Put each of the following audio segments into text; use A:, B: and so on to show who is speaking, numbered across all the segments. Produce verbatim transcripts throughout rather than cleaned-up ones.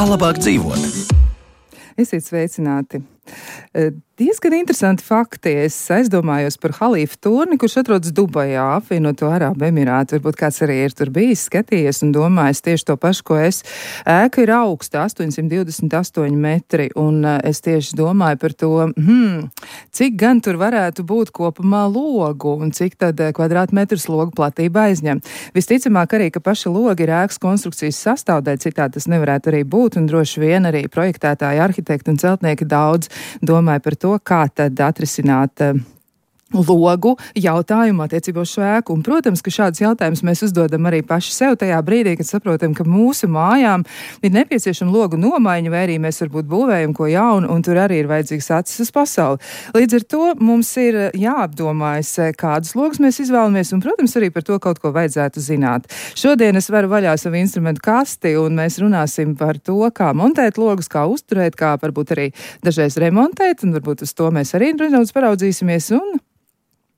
A: Kā labāk dzīvot?
B: Esiet sveicināti! Diezgan interesanti fakti. Es aizdomājos par Halifa turni, kurš atrodas Dubajā, apvienoto Arābu Emirātu. Varbūt kāds arī ir tur bijis, skatījies un domājis tieši to pašu, ko es. Ēka ir augsta, astoņsimt divdesmit astoņi metri, un es tieši domāju par to, hmm, cik gan tur varētu būt kopumā logu un cik tad kvadrātmetrs logu platība aizņem. Visticamāk arī, ka paša logi ir ēkas konstrukcijas sastāvdaļa, citādi tas nevarētu arī būt, un droši vien arī projektētāji, arhitekti un celtnieki daudz domāja par to, kā tad atrisināt uh, logu jautājumu attiecībā uz šo ēku. Un, protams, ka šādus jautājumus mēs uzdodam arī paši sev tajā brīdī, kad saprotam, ka mūsu mājām ir nepieciešama logu nomaiņa, vai arī mēs varbūt būvējam ko jaunu, un tur arī ir vajadzīgs acis uz pasauli. Līdz ar to mums ir jāapdomājas, kādus logus mēs izvēlamies, un, protams, arī par to kaut ko vajadzētu zināt. Šodien es varu vaļā savu instrumentu kasti, un mēs runāsim par to, kā montēt logus, kā uzturēt, kā varbūt arī dažreiz remontēt, un varbūt uz to mēs arī nedaudz paraudzīsimies, un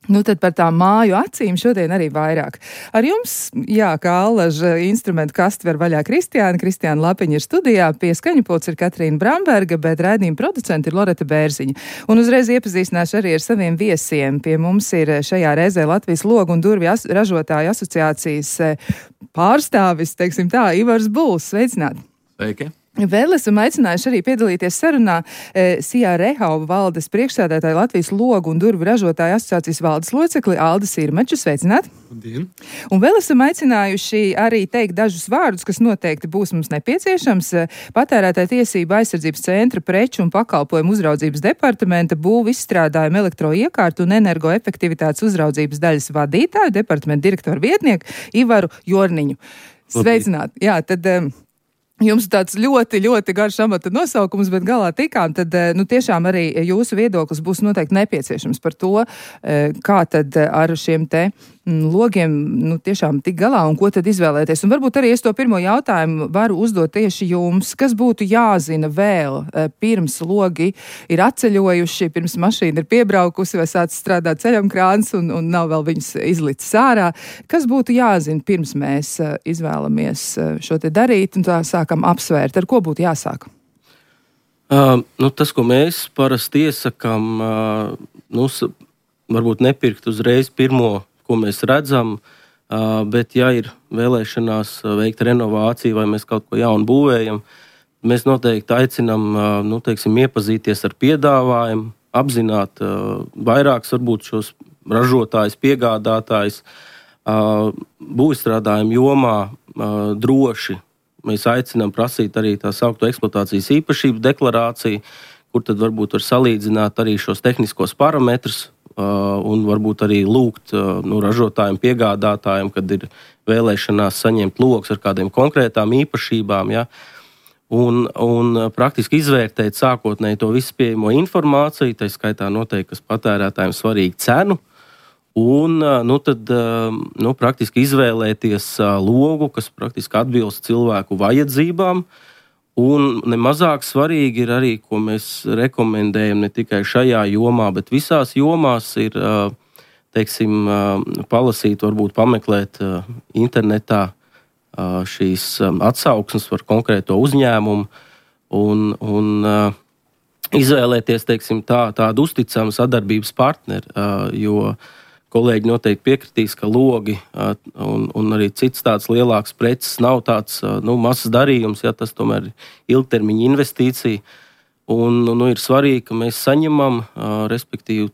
B: nu tad par tām māju acīm šodien arī vairāk. Ar jums, jā, kā allaža instrumentu kasti var vaļā Kristiāna. Kristiāna Lapiņa ir studijā, pie skaņapults ir Katrīna Bramberga, bet raidījuma producenti ir Loreta Bērziņa. Un uzreiz iepazīstināšu arī ar saviem viesiem. Pie mums ir šajā reizē Latvijas logu un durvju as- ražotāju asociācijas pārstāvis, teiksim tā, Ivars Buls. Sveicināti!
C: Sveiki!
B: Vēl esam aicinājuši arī piedalīties sarunā e, Sijā Rehauba valdes priekšsēdētāja Latvijas logu un durvju ražotāju asociācijas valdes locekli Aldi Sirmaču. Sveicināti!
C: Labdien!
B: Un vēl esam aicinājuši arī teikt dažus vārdus, kas noteikti būs mums nepieciešams. Patērētāja tiesība aizsardzības centra preču un pakalpojumu uzraudzības departamenta būvu izstrādājumu elektroiekārtu un energoefektivitātes uzraudzības daļas vadītāju, departamenta direktoru vietnieku Ivaru Jorniņu. Sveicināti! Jā, tad jums tāds ļoti, ļoti garš amata nosaukums, bet galā tikām, tad, nu, tiešām arī jūsu viedoklis būs noteikti nepieciešams par to, kā tad ar šiem te logiem, nu, tiešām tik galā un ko tad izvēlēties. Un varbūt arī es to pirmo jautājumu varu uzdot tieši jums. Kas būtu jāzina vēl pirms logi ir atceļojuši, pirms mašīna ir piebraukusi vai sāc strādāt ceļamkrāns un, un nav vēl viņus izlicis ārā? Kas būtu jāzina pirms mēs izvēlamies šo te darīt un tā sākam apsvērt? Ar ko būtu jāsāk?
C: Uh, nu, tas, ko mēs parasti iesakām, uh, nu, varbūt nepirkt uzreiz pirmo, ko mēs redzam, uh, bet ja ir vēlēšanās veikt renovāciju vai mēs kaut ko jaunu būvējam, mēs noteikti aicinām, uh, nu, teiksim, iepazīties ar piedāvājumu, apzināt uh, vairākus varbūt šos ražotājus, piegādātājus, uh, būvstrādājumu jomā uh, droši. Mēs aicinām prasīt arī tā saukto eksploatācijas īpašību deklarāciju, kur tad varbūt var salīdzināt arī šos tehniskos parametrus uh, un varbūt arī lūgt uh, nu, ražotājiem, piegādātājiem, kad ir vēlēšanās saņemt logus ar kādiem konkrētām īpašībām, ja, un, un praktiski izvērtēt sākotnēji to visu pieejamo informāciju, tā skaitā noteikti, kas patērētājiem svarīgi cenu, un nu, tad, nu, praktiski izvēlēties logu, kas praktiski atbilst cilvēku vajadzībām. Un nemazāk svarīgi ir arī, ko mēs rekomendējam ne tikai šajā jomā, bet visās jomās ir, teiksim, palasīt, varbūt pameklēt internetā šīs atsauksmes par konkrēto uzņēmumu un, un izvēlēties, teiksim, tā, tādu uzticamu sadarbības partneri, jo kolēģi noteikti piekritīs, ka logi un, un arī cits tāds lielāks preces nav tāds nu, mazs darījums, ja tas tomēr ir ilgtermiņa investīcija. Un nu, ir svarīgi, ka mēs saņemam, respektīvi,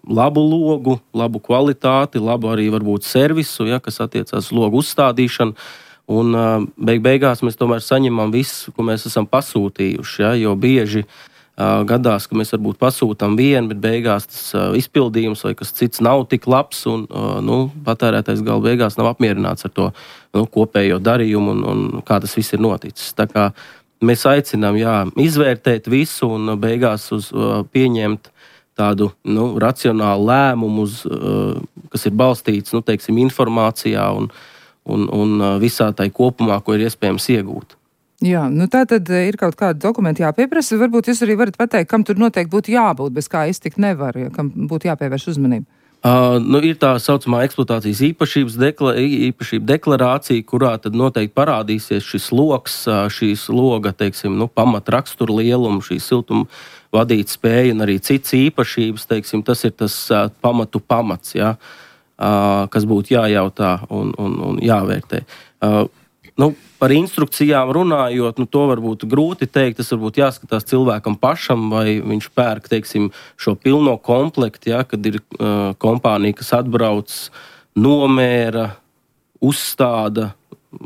C: labu logu, labu kvalitāti, labu arī varbūt servisu, ja, kas attiecās uz logu uzstādīšanu. Un beig beigās mēs tomēr saņemam visu, ko mēs esam pasūtījuši, ja, jo bieži gadās, ka mēs varbūt pasūtām vienu, bet beigās tas izpildījums vai kas cits nav tik labs, un nu, patērētais gala beigās nav apmierināts ar to nu, kopējo darījumu un, un kā tas viss ir noticis. Tā kā mēs aicinām jā, izvērtēt visu un beigās uz, pieņemt tādu nu, racionālu lēmumu, uz, kas ir balstīts nu, teiksim, informācijā un, un, un visā tai kopumā, ko ir iespējams iegūt.
B: Jā, nu tā tad ir kaut kādi dokumenti jāpieprasa. Varbūt jūs arī varat pateikt, kam tur noteikti būtu jābūt, bez kā iztikt nevar, ja, kam būtu jāpievērš uzmanība.
C: Uh, nu, ir tā saucamā eksploatācijas īpašības dekla, īpašība deklarācija, kurā tad noteikti parādīsies šis loks, šīs loga, teiksim, nu, pamatraksturu lielumu, šī siltuma vadīt spēja un arī citas īpašības, teiksim, tas ir tas uh, pamatu pamats, ja, uh, kas būtu jājautā un, un, un jāvērtē. Uh, nu, par instrukcijām runājot, nu, to varbūt grūti teikt, tas varbūt jāskatās cilvēkam pašam, vai viņš pērk, teiksim, šo pilno komplektu, ja, kad ir uh, kompānija, kas atbrauc, nomēra, uzstāda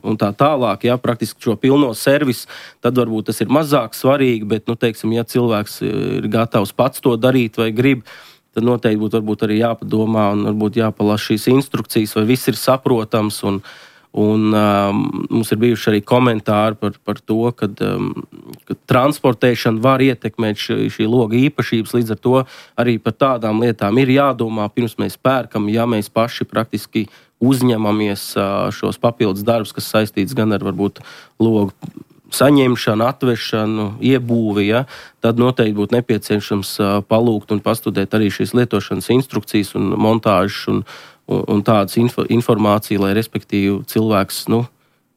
C: un tā tālāk, ja, praktiski šo pilno servisu, tad varbūt tas ir mazāk svarīgi, bet, nu, teiksim, ja cilvēks ir gatavs pats to darīt vai grib, tad noteikti būtu varbūt arī jāpadomā un varbūt jāpalasa šīs instrukcijas, vai viss ir saprotams un Un um, mums ir bijuši arī komentāri par, par to, ka um, transportēšana var ietekmēt šī, šī loga īpašības. Līdz ar to arī par tādām lietām ir jādomā, pirms mēs pērkam, ja mēs paši praktiski uzņemamies uh, šos papildus darbus, kas saistīts gan ar varbūt logu saņemšanu, atvešanu, iebūvi, ja, tad noteikti būtu nepieciešams uh, palūgt un pastudēt arī šīs lietošanas instrukcijas un montāžas un un, un tādas info, informācija, lai respektīvi cilvēks nu,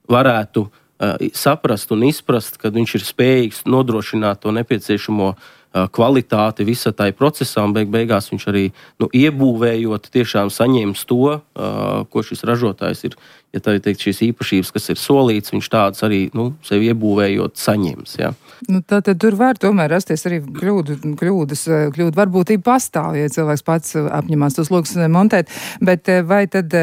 C: varētu uh, saprast un izprast, ka viņš ir spējīgs nodrošināt to nepieciešamo uh, kvalitāti visā tai procesā, un beig beigās viņš arī nu, iebūvējot tiešām saņems to, uh, ko šis ražotājs ir, ja tā ir teikt, šīs īpašības, kas ir solīts, viņš tādas arī nu, sevi iebūvējot saņems. Ja.
B: Nu, tā tad tur var tomēr rasties arī kļūdu, kļūdas, kļūdu varbūtība pastāv, ja cilvēks pats apņemās tos logus montēt, bet vai tad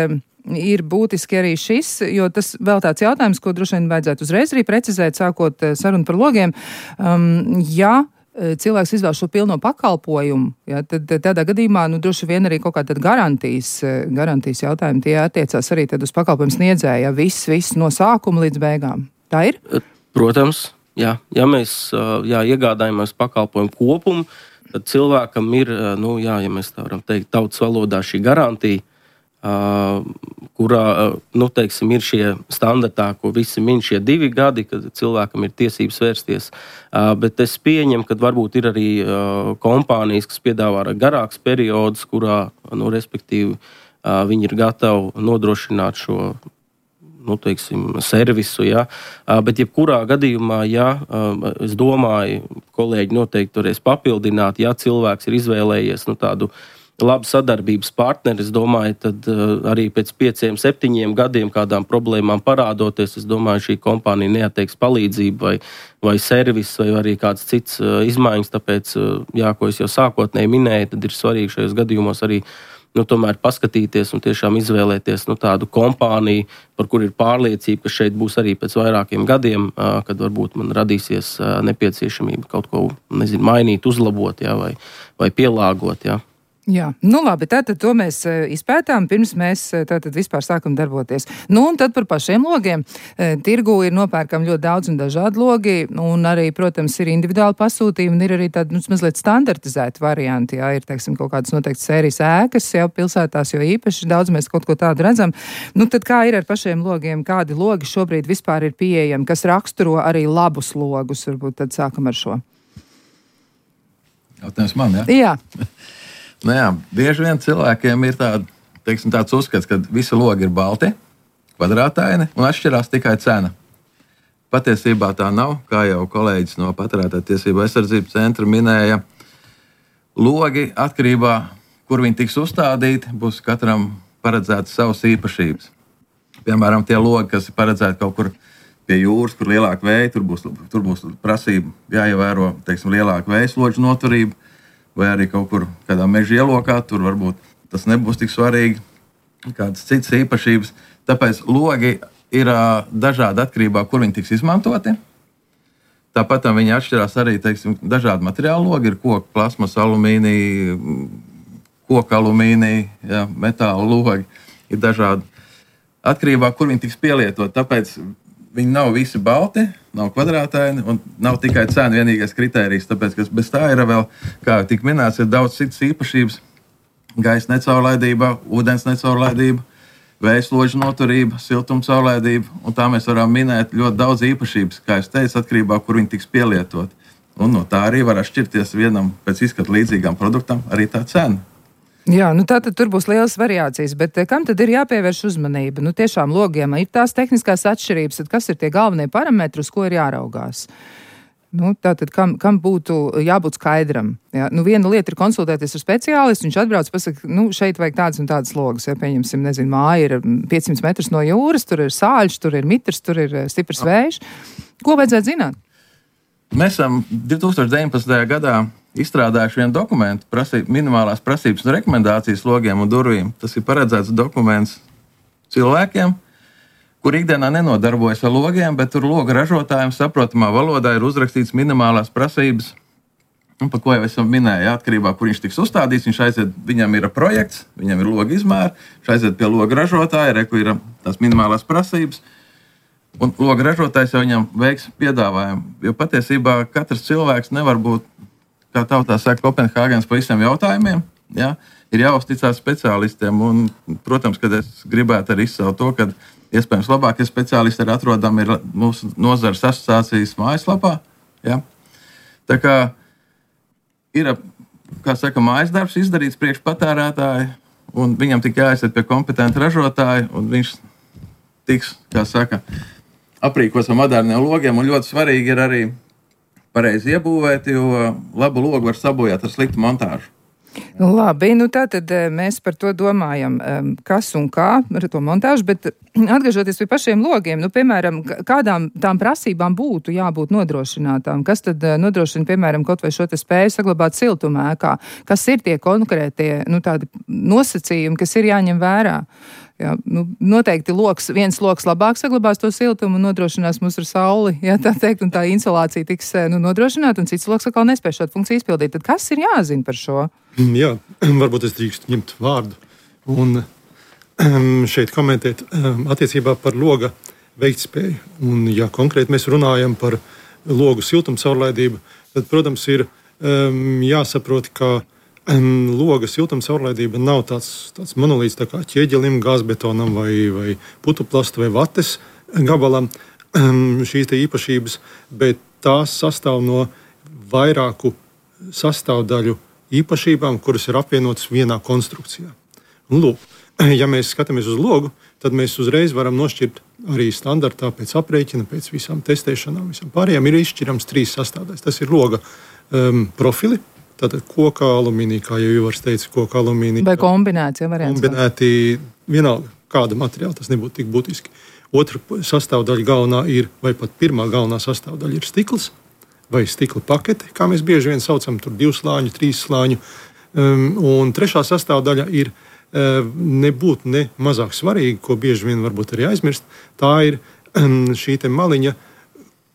B: ir būtiski arī šis, jo tas vēl tāds jautājums, ko droši vien vajadzētu uzreiz arī precizēt, sākot sarunu par logiem, um, ja cilvēks izvēl šo pilno pakalpojumu, ja, tad tādā gadījumā nu, droši vien arī kaut kāda garantijas, garantijas jautājumi tie attiecās arī tad uz pakalpojumu sniedzēju, ja viss, viss no sākuma līdz beigām. Tā ir? Protams. Jā, ja mēs jā, iegādājamies pakalpojumu kopumu, tad cilvēkam ir, nu, jā, ja mēs tā varam teikt, tautas valodā šī garantija, kurā, nu, teiksim, ir šie standartā, ko visi min šie divi gadi, kad cilvēkam ir tiesības vērsties. Bet es pieņemu, ka varbūt ir arī kompānijas, kas piedāvā garāks periods, kurā, nu, respektīvi, viņi ir gatavi nodrošināt šo nu, teiksim, servisu, ja. Bet jebkurā gadījumā, ja, es domāju, kolēģi noteikti varēs papildināt, ja cilvēks ir izvēlējies nu, tādu labu sadarbības partneri, es domāju, tad arī pēc pieciem, septiņiem gadiem kādām problēmām parādoties, es domāju, šī kompānija neatteiks palīdzību vai, vai servis vai arī kāds cits izmaiņas, tāpēc, jā, ko es jau sākotnēji minēju, tad ir svarīgi šajos gadījumos arī nu, tomēr paskatīties un tiešām izvēlēties nu, tādu kompāniju, par kur ir pārliecība, ka šeit būs arī pēc vairākiem gadiem, kad varbūt man radīsies nepieciešamība kaut ko, nezinu, mainīt, uzlabot, jā, vai, vai pielāgot, jā. Jā, nu labi, tātad to mēs izpētām, pirms mēs tātad vispār sākam darboties. Nu, un tad par pašiem logiem. Tirgū ir nopērkam ļoti daudz un dažādi logi, un arī, protams, ir individuāli pasūtījumi, un ir arī tādi, nu, mazliet standartizēti varianti, jā, ir, teiksim, kaut kādas noteikti sērijas ēkas, jau pilsētās, jo īpaši daudz mēs kaut ko tādu redzam. Nu, tad kā ir ar pašiem logiem, kādi logi šobrīd vispār ir pieejami, kas raksturo arī labus logus, varbūt tad sākam ar šo.
A: Jautājums man, jā?
B: Jā.
A: Nu jā, bieži vien cilvēkiem ir tāda, teiksim, tāds uzskats, ka visi logi ir balti, kvadrātaini un atšķirās tikai cena. Patiesībā tā nav, kā jau kolēģis no Patērētāju tiesību aizsardzības centra minēja. Logi atkarībā, kur viņi tiks uzstādīti, būs katram paredzētas savas īpašības. Piemēram, tie logi, kas ir paredzēti kaut kur pie jūras, kur lielāka vēja, tur būs, tur būs prasība jāievēro, teiksim, lielāka vējas loģu noturība. Vai arī kaut kur kādā meža ielokā, tur varbūt tas nebūs tik svarīgi, kādas citas īpašības. Tāpēc logi ir uh, dažādi atkarībā, kur viņi tiks izmantoti. Tāpat viņi atšķirās arī, teiksim, dažādi materiāli logi, ir koka, plasmas, alumīnija, koka alumīnija, ja, metāla logi, ir dažādi. Atkarībā, kur viņi tiks pielietot, tāpēc viņi nav visi balti, nav kvadrātaini un nav tikai cena vienīgais kritērijs, tāpēc, ka bez tā ir vēl, kā tik minēts, ir daudz citas īpašības, gaisa necaurlaidība, ūdens necaurlaidība, vējas ložu noturība, siltuma caurlaidība, un tā mēs varam minēt ļoti daudz īpašības, kā es teicu, atkarībā, kur viņi tiks pielietot. Un no tā arī var atšķirties vienam pēc izskata līdzīgam produktam arī tā cena.
B: Jā, nu tātad tur būs lielas variācijas, bet kam tad ir jāpievērš uzmanība? Nu tiešām logiem ir tās tehniskās atšķirības, tad kas ir tie galvenie parametri, uz ko ir jāraugās? Nu, tātad, kam, kam būtu jābūt skaidram? Jā, nu, viena lieta ir konsultēties ar speciālistu, viņš atbrauc, pasaka, nu, šeit vajag tādas un tādas logas, ja pieņemsim, nezinu, māja ir piecsimt metrus no jūras, tur ir sāļš, tur ir mitrs, tur ir stiprs vējš. Ko vajadzētu zināt?
A: Mēs esam divi tūkstoši deviņpadsmitajā gadā izstrādājuši vienu dokumentu, prasību, minimālās prasības un rekomendācijas logiem un durvīm. Tas ir paredzēts dokuments cilvēkiem, kur ikdienā nenodarbojas ar logiem, bet tur loga ražotājiem saprotamā valodā ir uzrakstīts minimālās prasības, un par ko jau esam minēju, atkarībā, kur viņš tiks uzstādīts, viņš aiziet, viņam ir projekts, viņam ir loga izmēri, viņš aiziet pie loga ražotāja, re, kur ir tās minimālās prasības, un loga ražotājs jau viņam veiks piedāvājumu, jo patiesībā katrs cilvēks nevar būt, kā tautā saka, Kopenhāgens pa visiem jautājumiem, ja? Ir jāuzticās speciālistiem, un, protams, kad es gribētu arī izcelt to, ka iespējams labākie speciālisti ir atrodami ir mūsu nozares asociācijas mājaslapā. Ja? Tā kā ir, kā saka, mājas darbs izdarīts priekš patērētāju, un viņam tikai jāaiziet pie kompetenta ražotāja, un viņš tiks, kā saka, aprīkots ar moderniem logiem, un ļoti svarīgi ir arī pareizi iebūvēt, jo labu logu var sabojāt ar sliktu montāžu.
B: Nu, labi, nu tātad mēs par to domājam, kas un kā ar to montāžu, bet atgriežoties pie pašiem logiem, nu, piemēram, kādām tām prasībām būtu jābūt nodrošinātām, kas tad nodrošina, piemēram, kaut vai šo te spēju saglabāt siltumu ēkā, kas ir tie konkrētie, nu, tādi nosacījumi, kas ir jāņem vērā. Jā, nu, noteikti loks, viens loks labāk saglabās to siltumu un nodrošinās mums ar sauli, jā, tā teikt, un tā insulācija tiks nu, nodrošināta, un cits loks atkal nespēj šādu funkciju izpildīt. Tad kas ir jāzina par šo?
D: Jā, varbūt es drīkstu ņemt vārdu un um, šeit komentēt um, attiecībā par loga veiktspēju. Un, ja konkrēti mēs runājam par logu siltumu caurlaidību, tad, protams, ir um, jāsaprot, ka Um, loga siltuma caurlaidība nav tāds, tāds monolīts tā kā ķieģelim, gāzbetonam vai, vai putuplastu vai vates gabalam um, šīs te īpašības, bet tās sastāv no vairāku sastāvdaļu īpašībām, kuras ir apvienotas vienā konstrukcijā. Un, lūk, ja mēs skatāmies uz logu, tad mēs uzreiz varam nošķirt arī standartā pēc aprēķina, pēc visām testēšanām, visam pārējām ir izšķirams trīs sastāvdaļas. Tas ir loga um, profili, tātad koka alumīnija, kā jau Ivars teica, koka alumīnija.
B: Vai kombinēts, ja variants?
D: Kombinēti, vienalga, kāda materiāla, tas nebūtu tik būtiski. Otra sastāvdaļa galvenā ir, vai pat pirmā galvenā sastāvdaļa ir stikls, vai stikla pakete, kā mēs bieži vien saucam, tur divu slāņu, trīs slāņu. Um, un trešā sastāvdaļa ir uh, nebūt ne mazāk svarīga, ko bieži vien varbūt arī aizmirst. Tā ir um, šī te maliņa,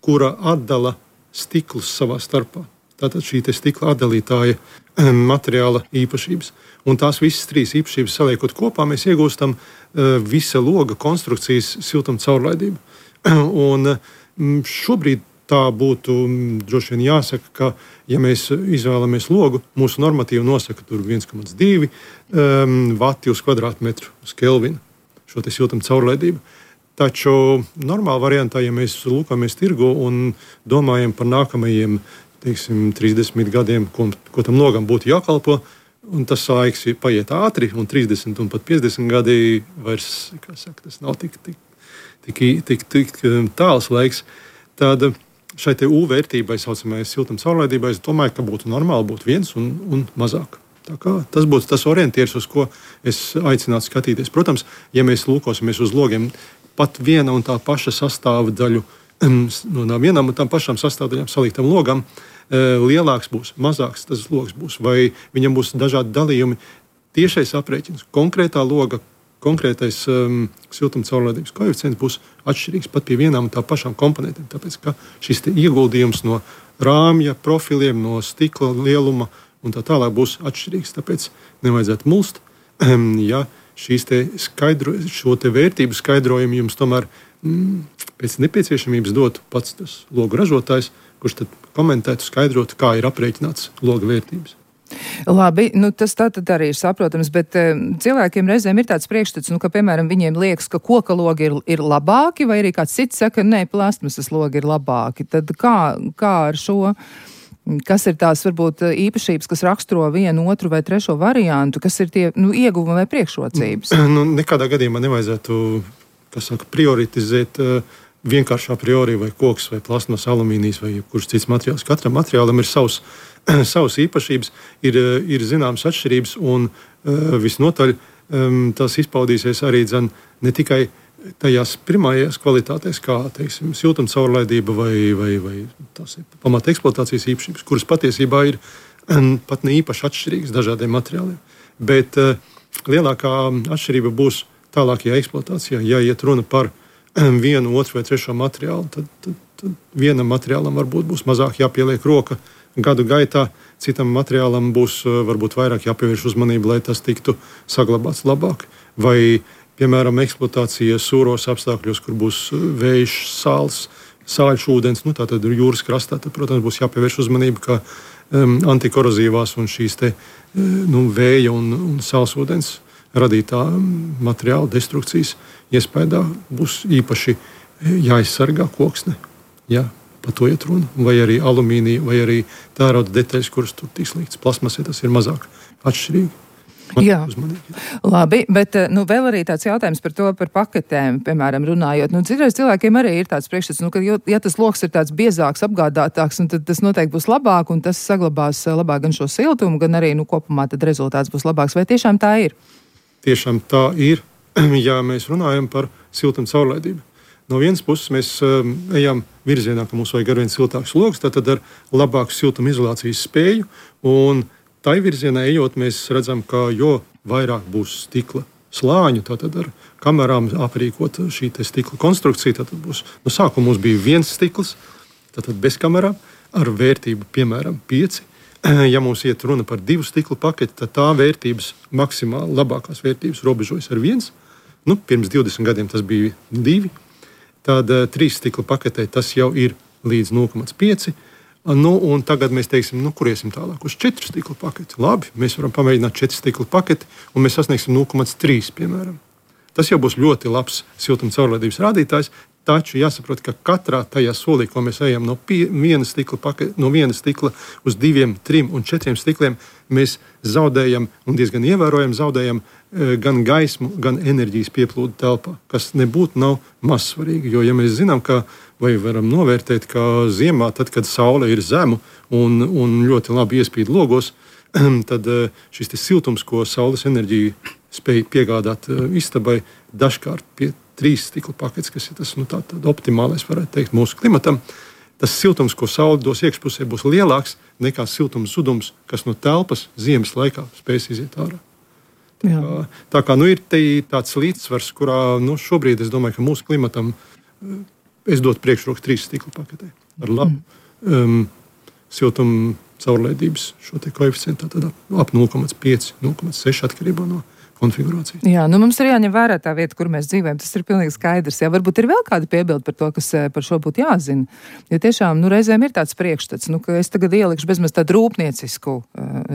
D: kura atdala stiklus savā starpā. Tātad šī stikla atdalītāja materiāla īpašības. Un tās visas trīs īpašības saliekot kopā, mēs iegūstam uh, visa loga konstrukcijas siltuma caurlaidību. Un um, šobrīd tā būtu um, droši vien jāsaka, ka, ja mēs izvēlamies logu, mūsu normatīva nosaka tur viens komats divi um, vati uz kvadrātmetru uz Kelvinu šo te siltuma caurlaidību. Taču normāla variantā, ja mēs lūkamies tirgu un domājam par nākamajiem teiksim, trīsdesmit gadiem, ko, ko tam logam būtu jākalpo, un tas laiks paiet ātri, un trīsdesmit un pat piecdesmit gadi vairs, kā saka, tas nav tik, tik, tik, tik, tik tāls laiks, tad šai te U vērtībai, saucamais siltuma caurlaidībai, es domāju, ka būtu normāli būt viens un, un mazāk. Tā kā tas būtu tas orientieris, uz ko es aicinātu skatīties. Protams, ja mēs lūkosimies uz logiem, pat viena un tā paša sastāvdaļu, no vienām un tām pašām sastāvdaļām saliktam logam, lielāks būs, mazāks tas logs būs, vai viņam būs dažādi dalījumi. Tiešais aprēķins, konkrētā loga, konkrētais um, siltuma caurlaidības koeficients būs atšķirīgs pat pie vienām un tā pašām komponentiem, tāpēc, ka šis te ieguldījums no rāmja, profiliem, no stikla lieluma un tā tālāk būs atšķirīgs, tāpēc nevajadzētu mulst, um, ja šīs te skaidro, šo te vērtību skaidrojumu jums tomēr mm, pēc nepieciešamības dotu pats tas logu ražotājs, kurš tad komentētu, skaidrotu, kā ir aprēķināts loga vērtības.
B: Labi, nu tas tā tad arī ir saprotams, bet uh, cilvēkiem reizēm ir tāds priekšstats, nu, ka, piemēram, viņiem liekas, ka koka logi ir, ir labāki, vai arī kāds cits saka, nē, plastmasas logi ir labāki. Tad kā, kā ar šo Kas ir tās varbūt īpašības, kas raksturo vienu, otru vai trešo variantu, kas ir tie nu, ieguvumi vai priekšrocības?
D: Nu, nekādā gadījumā nevajadzētu, kas saka, prioritizēt uh, vienkārši a priori vai koks vai plasmas, alumīnijas vai kurš cits materiāls. Katram materiālam ir savs, savas īpašības, ir, ir zināmas atšķirības un uh, visnotaļ um, tas izpaudīsies arī dzen, ne tikai tajās pirmajās kvalitātēs, kā teiksim, siltuma caurlaidība vai, vai, vai tās ir pamata eksploatācijas īpašības, kuras patiesībā ir um, pat ne īpaši atšķirīgas dažādiem materiāliem. Bet uh, lielākā atšķirība būs tālākajā eksploatācijā. Ja iet runa par um, vienu, otru vai trešo materiālu, tad, tad, tad vienam materiālam varbūt būs mazāk jāpieliek roka gadu gaitā, citam materiālam būs uh, varbūt vairāk jāpievērš uzmanība, lai tas tiktu saglabāts labāk. Vai piemēram, eksploatācija sūros apstākļos, kur būs vējš, sāls, sāļš ūdens, nu, tātad jūras krastā, tad, protams, būs jāpievērš uzmanība, ka um, antikorozīvās un šīs te, nu, vēja un, un sāls ūdens radītā materiāla destrukcijas iespējā būs īpaši jāizsargā koksne. Jā, par to iet runa. Vai arī alumīnija, vai arī tērauda detaļas, kuras tur tiks liktas plasmasē, tas ir mazāk atšķirīgi.
B: Jā, labi, bet nu, vēl arī tāds jautājums par to, par paketēm, piemēram, runājot. Nu, citreiz cilvēkiem arī ir tāds priekšstats, nu, ka, ja tas loks ir tāds biezāks, apgādātāks, tad tas noteikti būs labāk, un tas saglabās labāk gan šo siltumu, gan arī, nu, kopumā tad rezultāts būs labāks. Vai tiešām tā ir?
D: Tiešām tā ir, ja mēs runājam par siltumu caurlaidību. No vienas puses mēs um, ejam virzienā, ka mums vajag arvien siltāks loks, tad ar labāku siltuma izolācijas spēju, un tai virzienā ejot, mēs redzam, ka jo vairāk būs stikla slāņu, tātad ar kamerām aprīkot šī te stikla konstrukcija, tātad būs, no sākuma mums bija viens stikls, tātad bez kamerām, ar vērtību, piemēram, pieci. Ja mums iet runa par divu stiklu paketi, tad tā vērtības, maksimāli labākās vērtības robežojas ar viens. Nu, pirms divdesmit gadiem tas bija divi. Tad uh, trīs stikla paketē tas jau ir līdz nulle komats pieci. Nu, un tagad mēs teiksim, nu, kur iesim tālāk uz četru stikla paketi. Labi, mēs varam pamēģināt četru stikla paketi, un mēs sasniegsim nulle komats trīs, piemēram. Tas jau būs ļoti labs siltuma caurlaidības rādītājs, taču jāsaprot, ka katrā tajā solī, ko mēs ejam no pie, viena stikla paketi, no viena stikla uz diviem, trim un četriem stikliem, mēs zaudējam un diezgan ievērojam zaudējam e, gan gaismu, gan enerģijas pieplūdu telpā, kas nebūtu nav mazsvarīgi, jo ja mēs zinām, ka vai varam novērtēt, ka ziemā, tad, kad saule ir zemu un, un ļoti labi iespīd logos, tad šis siltums, ko saules enerģija spēj piegādāt istabai, dažkārt pie trīs stikla paketes, kas ir tas nu, tā, optimālais, varētu teikt, mūsu klimatam, tas siltums, ko saule dos iekšpusē, būs lielāks nekā siltums zudums, kas no telpas ziemas laikā spēs iziet ārā. Tā kā, tā kā nu, ir tāds līdzsvars, kurā nu, šobrīd es domāju, ka mūsu klimatam es dotu priekšroku trīs stikla paketē ar labu um, siltumu caurlaidības šo te koeficientu, tad ap nulle komats pieci, nulle komats seši atkarībā no konfigurācijas.
B: Jā, nu mums ir jāņem vērā tā vieta, kur mēs dzīvojam. Tas ir pilnīgi skaidrs. Jā, varbūt ir vēl kāda piebilda par to, kas par šo būtu jāzina. Jo tiešām, nu, reizēm ir tāds priekšstats, nu, ka es tagad ielikšu bezmaz tādu rūpniecisku,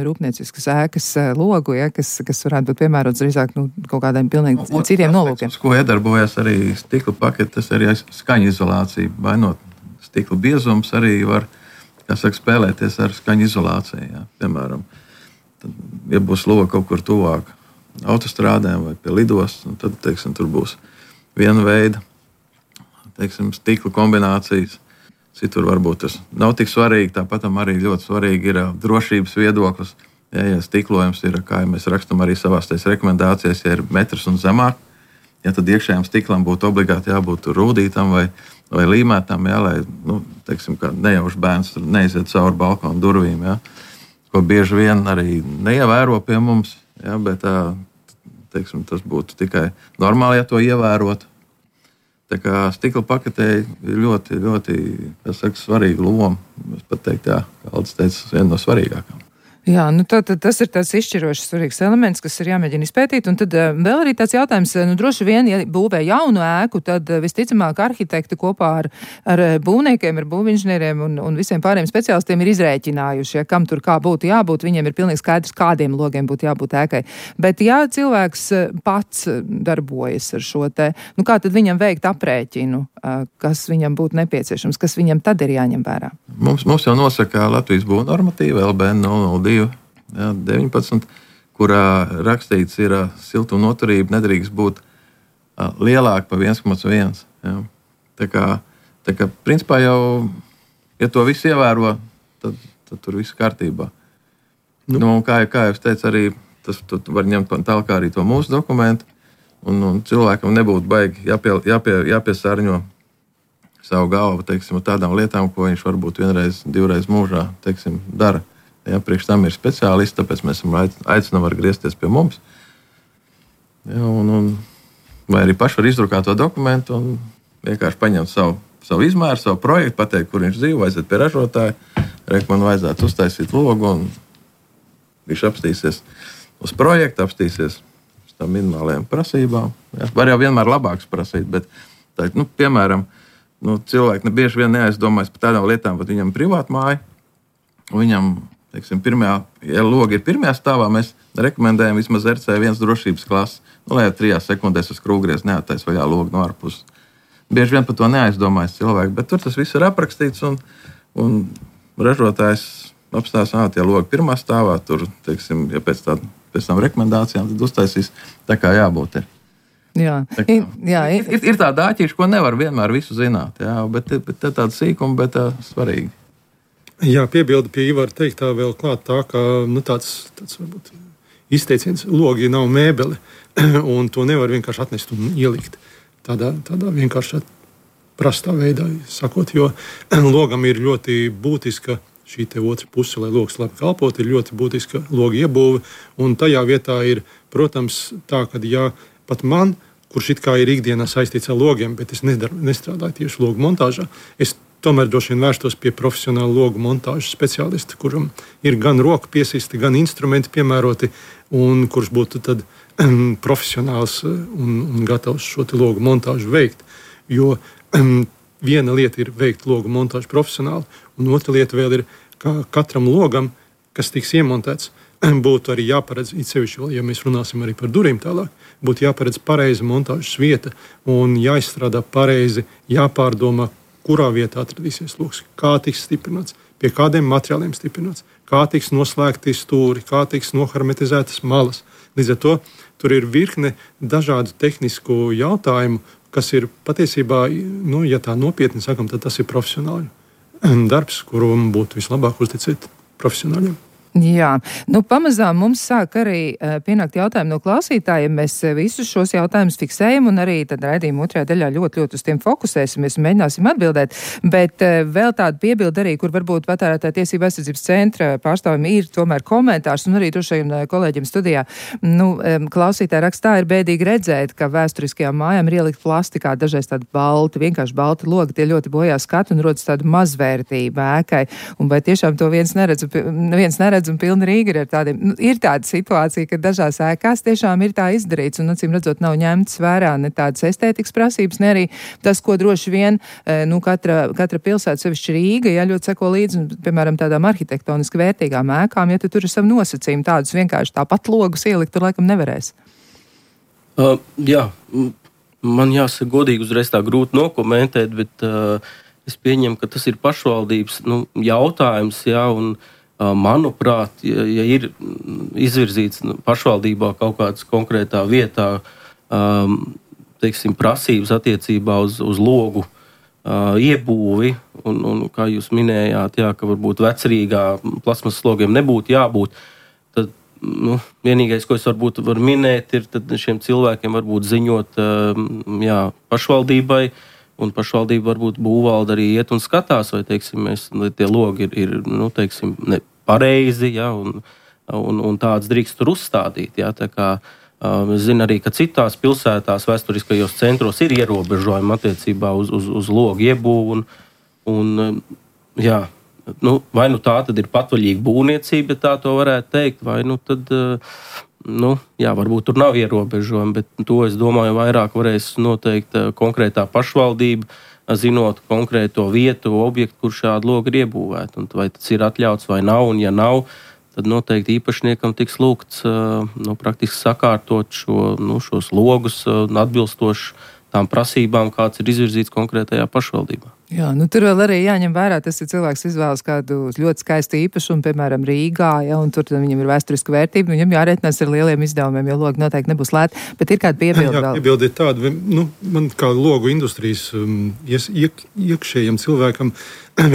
B: rūpnieciskas ēkas logu, ja, kas, kas varētu būt piemērots drīzāk, nu, kaut kādiem pilnīgi nu, citiem nolūkiem.
A: Uz ko iedarbojas arī stikla pakete, tas arī skaņa izolācija. Vainot stikla biezums arī var, kā saka, spēlēties ar skaņa izolāciju, jā. Piemēram, tad, ja būs loga kaut kur tuvāk autostrādēm vai pie lidostas, tad, teiksim, tur būs viena veida, teiksim, stikla kombinācijas. Citur varbūt tas nav tik svarīgi, tāpat arī ļoti svarīgi ir drošības viedoklis. Ja, ja stiklojums ir, kā ja mēs rakstam arī savās tais rekomendācijas, ja ir metrs un zemāk, ja tad iekšējām stiklam būtu obligāti jābūt rūdītam vai, vai līmētam, ja, lai, nu, teiksim, kā nejauši bērns neiziet cauri balkonu durvīm, ja, ko bieži vien arī neievēro pie mums. Ja, bet tā, teiksim, tas būtu tikai normāli, ja to ievērotu. Tā kā stikla paketē ir ļoti, ļoti, kas saka, svarīga loma. Es pat teiktu, jā, kā Aldis teica, viena no svarīgākām.
B: Jā, nu tā, tā, tas ir tāds izšķirošs svarīgs elements, kas ir jāmēģina izpētīt. Un tad uh, vēl arī tāds jautājums, nu droši vien, ja būvē jaunu ēku, tad uh, visticamāk arhitekti kopā ar, ar būvniekiem, ar būvinženieriem un, un visiem pārējiem speciālistiem ir izrēķinājuši, ja, kam tur kā būtu jābūt. Viņiem ir pilnīgi skaidrs, kādiem logiem būtu jābūt ēkai. Bet ja cilvēks pats darbojas ar šo te, nu kā tad viņam veikt aprēķinu, uh, kas viņam būtu nepieciešams, kas viņam tad ir jāņem vērā?
A: mums, mums jau nosaka Latvijas būvnormatīva L B N nulle nulle divi jā, deviņpadsmit, kurā rakstīts ir siltuma noturība nedrīkst būt lielāka par viens komats viens. Tā kā, tā kā principā jau, ja to visu ievēro, tad, tad tur viss kārtībā. Nu. Nu, kā, kā jau es teicu, arī tas var ņemt tālāk arī to mūsu dokumentu, un, un cilvēkam nebūtu baigi jāpie, jāpie, jāpiesārņo savu galvu, teiksim, tādām lietām, ko viņš varbūt vienreiz, divreiz mūžā, teiksim, dara. Ja, priekš tam ir speciālisti, tāpēc mēs aicinām var griezties pie mums. Ja, un, un, vai arī paši var izdrukāt to dokumentu un vienkārši paņemt savu, savu izmēru, savu projektu, pateikt, kur viņš dzīvo, aiziet pie ražotāja, reik man vajadzētu uztaisīt logu, un viņš apstīsies uz projektu, apstīsies uz tām minimālajām prasībām. Ja. Var jau vienmēr labāks prasīt, bet, tā, nu, piemēram, nu, cilvēki bieži vien neaizdomājas par tādām lietām, bet viņam privāta māja, un viņam, teiksim, pirmajā, ja logi ir pirmajā stāvā, mēs rekomendējam vismaz R C viens drošības klases, nu, lai jau trijās sekundēs uz krūgries neatais vaļā logu no ārpuses. Bieži vien par to neaizdomājas cilvēki, bet tur tas viss ir aprakstīts, un, un ražotājs apstās, ā, tie logi pirmā stāvā, tur, teiksim, ja pēc, tā, pēc tām rekomendācijām, tad uztaisīs tā, kā jābūt ir.
B: Jā,
A: tā, jā ir, ir, ir tā dāķīša, ko nevar vienmēr visu zināt, jā, bet, bet tā tāda sīkuma, bet tā svarīgi.
D: Jā, piebildi pie Ivara teiktā vēl klāt tā, ka nu, tāds, tāds varbūt izteiciens, logi nav mēbeli, un to nevar vienkārši atnest un ielikt tādā, tādā vienkārši prastā veidā, sakot, jo logam ir ļoti būtiska šī te otra puse, lai logs labi kalpot, ir ļoti būtiska loga iebūve, un tajā vietā ir, protams, tā, ka jā, pat man, kurš it kā ir ikdienā saistīts ar logiem, bet es nedaru, nestrādāju tieši logu montāžā, es tomēr droši vien vērstos pie profesionāla logu montāžas speciālista, kuram ir gan roka piesisti, gan instrumenti piemēroti, un kurš būtu tad um, profesionāls un, un gatavs šo logu montāžu veikt. Jo um, viena lieta ir veikt logu montāžu profesionāli, un otra lieta vēl ir, ka katram logam, kas tiks iemontēts, būtu arī jāparedz, it sevišķi, ja mēs runāsim arī par durvīm tālāk, būtu jāparedz pareiza montāžas vieta un jāizstrādā pareizi, jāpārdomā, kurā vietā atradīsies logs, kā tiks stiprināts, pie kādiem materiāliem stiprināts, kā tiks noslēgti stūri, kā tiks nohermetizētas malas. Līdz ar to tur ir virkne dažādu tehnisku jautājumu, kas ir patiesībā, nu, ja tā nopietni sakam, tad tas ir profesionāļu darbs, kuru būtu vislabāk uzticēt profesionāļiem.
B: Jā, nu pamazām mums sāk arī uh, pienākt jautājumi no klausītājiem. Mēs uh, visus šos jautājumus fiksējam un arī tad raidījuma otrajā daļā ļoti, ļoti uz tiem fokusēsimies un mēģināsim atbildēt. Bet uh, vēl tāda piebilda arī, kur varbūt Patērētāju tiesību aizsardzības centra pārstāvjiem ir tomēr komentārs un arī droši vien kolēģiem studijā. Nu, um, klausītāji rakstā ir bēdīgi redzēt, ka vēsturiskajām mājām ir ielikt plastikā dažreiz tādi balti, vienkārši balti logi, tie ļoti bojā skatu un rodas tāda mazvērtība ēkai. Un vai tiešām to viens neredz, viens neredz un pilna Rīga ir ar tādiem. Nu, ir tāda situācija, ka dažās ēkās tiešām ir tā izdarīts un, acīm redzot, nav ņemts vērā ne tādas estētikas prasības, ne arī tas, ko droši vien, nu, katra, katra pilsēta, sevišķi Rīga, ja ļoti seko līdzi, un, piemēram, tādām arhitektoniski vērtīgām ēkām, ja tu tur ir savu nosacījumu, tādus vienkārši tāpat logus ielikt, tur laikam nevarēs.
C: Uh, jā, man jāsaka godīgi uzreiz tā grūti nokomentēt, bet uh, es pieņemu, ka tas ir pašvaldības, nu, jautājums, jā, un manuprāt, ja, ja ir izvirzīts pašvaldībā kaut kādas konkrētā vietā, um, teiksim, prasības attiecībā uz, uz logu uh, iebūvi, un, un kā jūs minējāt, jā, ka varbūt vecrīgā plasmasas logiem nebūtu jābūt, tad nu, vienīgais, ko es varbūt varu minēt, ir tad šiem cilvēkiem varbūt ziņot um, jā, pašvaldībai, un pašvaldība varbūt būvvalde arī iet un skatās, vai, teiksim, mēs, tie logi ir, ir nu, teiksim, ne pareizi, ja, un, un, un tāds drīkst tur uzstādīt, ja, tā kā um, es zinu arī, ka citās pilsētās vēsturiskajos centros ir ierobežojumi attiecībā uz, uz, uz logu iebūvu, un, un jā, nu, vai nu tā tad ir patvaļīga būvniecība, ja tā to varētu teikt, vai nu tad, nu, jā, varbūt tur nav ierobežojumi, bet to, es domāju, vairāk varēs noteikt konkrētā pašvaldība, zinot konkrēto vietu, objektu, kur šādi logi ir iebūvēti. Un vai tas ir atļauts vai nav, un ja nav, tad noteikti īpašniekam tiks lūgts nu, praktiski sakārtot šo, nu, šos logus atbilstoši tām prasībām, kāds ir izvirzīts konkrētajā pašvaldībā.
B: Jā, nu tur vēl arī jāņem vērā, tas ir cilvēks izvēlas kādu ļoti skaistu īpašumu, piemēram, Rīgā, ja, un tur viņam ir vēsturiska vērtība, viņam jārēķinās ar lieliem izdevumiem, jo logi noteikti nebūs lēti, bet ir kāda piebilde vēl.
D: Jā, piebilde ir tāda, nu, man kā logu industrijas um, iek, iekšējiem cilvēkam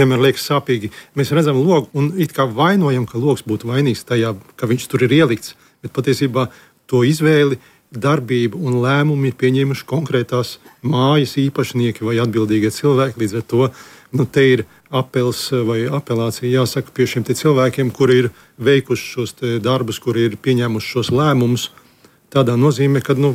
D: vienmēr liekas sāpīgi. Mēs redzam logu un it kā vainojam, ka logs būtu vainīgs tajā, ka viņš tur ir ielikts, bet patiesībā to izvēli, darbību un lēmumu ir pieņēmuši konkrētās mājas īpašnieki vai atbildīgie cilvēki. Līdz ar to nu, te ir apels vai apelācija jāsaka pie šiem cilvēkiem, kuri ir veikuši šos darbus, kuri ir pieņēmuši šos lēmumus. Tādā nozīmē, ka nu,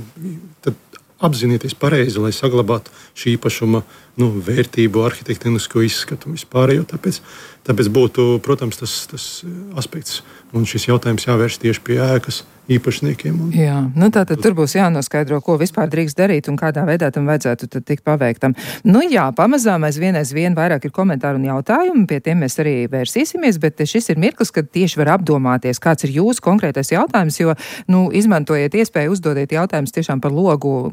D: apzinieties pareizi, lai saglabātu šī īpašuma nu, vērtību, arhitektonisko izskatu un vispārējo. Tāpēc, tāpēc būtu, protams, tas, tas aspekts un šis jautājums jāvērš tieši pie ēkas īpašniekiem. Un...
B: Jā, nu tātad tur būs jānoskaidro, ko vispār drīkst darīt un kādā veidā tam vajadzētu tad tikt paveiktam. Nu jā, pamazām aizvien aizvien vairāk ir komentāru un jautājumi, pie tiem mēs arī vērsīsimies, bet šis ir mirklis, kad tieši var apdomāties, kāds ir jūsu konkrētais jautājums, jo, nu, izmantojiet iespēju uzdodiet jautājumus tiešām par logu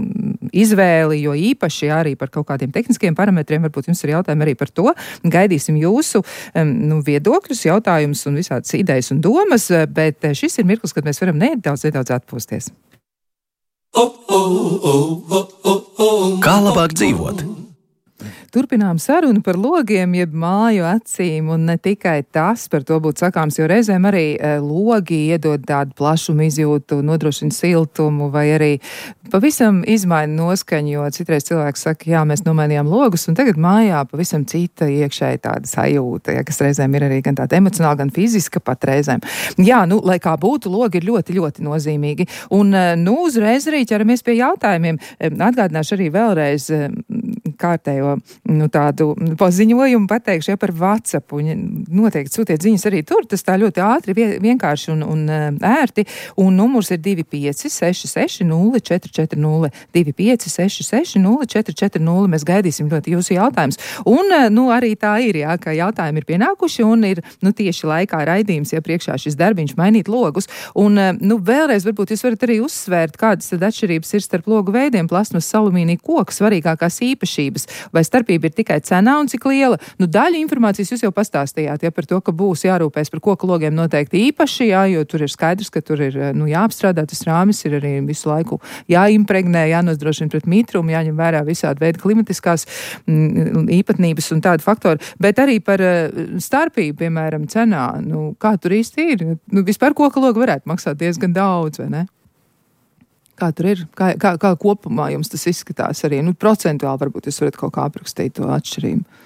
B: izvēli, jo īpaši arī par kaut kādiem tehniskiem parametriem, varbūt jums ir jautājumi arī par to. Gaidīsim jūsu nu, viedokļus, jautājumus un visādas idejas un domas, bet šis ir mirklis, kad mēs varam nedaudz, nedaudz atpūsties.
E: Kā labāk dzīvot?
B: Turpinām sarunu par logiem, jeb māju acīm, un ne tikai tas par to būtu sakāms, jo reizēm arī e, logi iedod tādu plašumu izjūtu, nodrošina siltumu, vai arī pavisam izmaina noskaņu, jo citreiz cilvēks saka, jā, mēs nomainījām logus, un tagad mājā pavisam cita iekšēji tāda sajūta, ja, kas reizēm ir arī gan tāda emocionāla, gan fiziska pat reizēm. Jā, nu, lai kā būtu, logi ir ļoti, ļoti nozīmīgi. Un, nu, uzreiz arī ķeramies pie jautājumiem. Atgādināšu arī vēlreiz kārtējo nu, tādu paziņojumu pateikšu ja, par WhatsApp. Noteikti sūtiet ziņas arī tur, tas tā ļoti ātri, vienkārši un, un ērti. Un numurs ir divi pieci seši seši nulle četri četri nulle, divi pieci seši seši nulle četri četri nulle. Mēs gaidīsim ļoti jūsu jautājumus. Un, nu, arī tā ir, jā, ka jautājumi ir pienākuši un ir, nu, tieši laikā raidījums, ja priekšā šis darbiņš mainīt logus. Un, nu, vēlreiz varbūt jūs varat arī uzsvērt, kādas tad atšķirības ir starp logu veidiem, plasmas, alumīnija, koks, svarīgākās īpašības, vai starpība ir tikai cenā un cik liela. Nu, daļa informācijas jūs jau pastāstījāt, ja, par to, ka būs jārūpēs par koku logiem noteikti īpaši, jā, jo tur ir skaidrs, ka tur ir, nu, jāapstrādā, tas rāmis ir arī visu laiku jāimpregnē, jānodrošina pret mitrumu, jāņem vērā visādi veidi klimatiskās m, īpatnības un tādu faktoru, bet arī par starpību, piemēram, cenā. Nu, kā tur īsti ir? Nu, vispār koka logi varētu maksāt diezgan daudz, vai ne? Kā tur ir? Kā, kā, kā kopumā jums tas izskatās arī? Nu, procentuāli varbūt jūs varat kaut kā aprakstīt to atšķirību.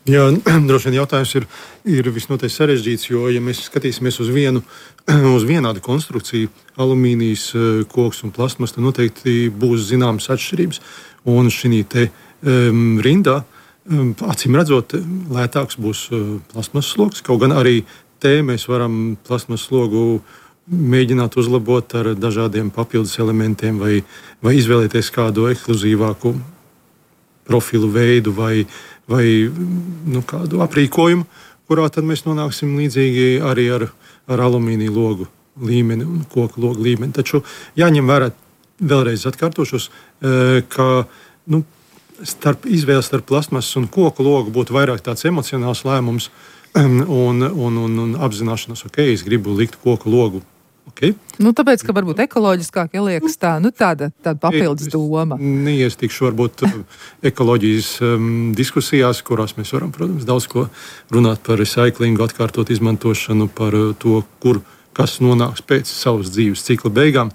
D: Jā, droši vien jautājums ir, ir visnotaļ sarežģīts, jo, ja mēs skatīsimies uz vienu, uz vienādu konstrukciju, alumīnijas, koks un plasmas, tad noteikti būs zināmas atšķirības. Un šī te um, rindā, um, acīm redzot, lētāks būs uh, plasmas sloks, kaut gan arī te mēs varam plasmas slogu mēģināt uzlabot ar dažādiem papildus elementiem vai, vai izvēlēties kādu ekskluzīvāku profilu veidu vai, vai nu, kādu aprīkojumu, kurā tad mēs nonāksim līdzīgi arī ar, ar alumīnija logu līmeni un koku logu līmeni. Taču jāņem vērā, vēlreiz atkārtošos, ka nu, starp izvēles starp plasmas un koku logu būtu vairāk tāds emocionāls lēmums un, un, un, un apzināšanās, ok, es gribu likt koku logu. Okay.
B: Nu, tāpēc, ka varbūt ekoloģiskāk ieliekas tā, nu, tāda, tāda papildus doma.
D: Neiestīkšu varbūt ekoloģijas um, diskusijās, kurās mēs varam, protams, daudz ko runāt par recyclingu, atkārtot izmantošanu, par to, kur kas nonāks pēc savas dzīves cikla beigām.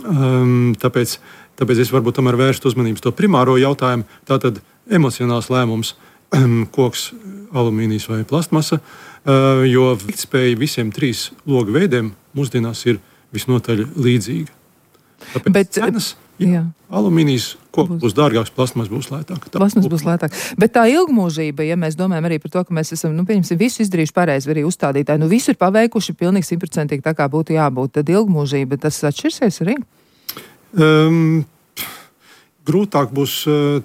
D: Um, tāpēc, tāpēc es varbūt tomēr vērstu uzmanības to primāro jautājumu. Tātad emocionāls lēmums, um, koks, alumīnijas vai plastmasa, uh, jo veiktspēja visiem trīs logu veidiem mūsdienās ir visnotaļ līdzīga. Tāpēc Bet, cenas, jā, jā. alumīnijas koks būs dārgāks, plasmas būs lētāk.
B: Plasmas būs lētāk. Bet tā ilgmūžība, ja mēs domājam arī par to, ka mēs esam, nu, pieņemsim, visu izdarījuši pareizi, arī uzstādītāji, nu, visu ir paveikuši pilnīgi simtprocentīgi tā, kā būtu jābūt, tad ilgmūžība, tas atšķirsies arī?
D: Um, grūtāk būs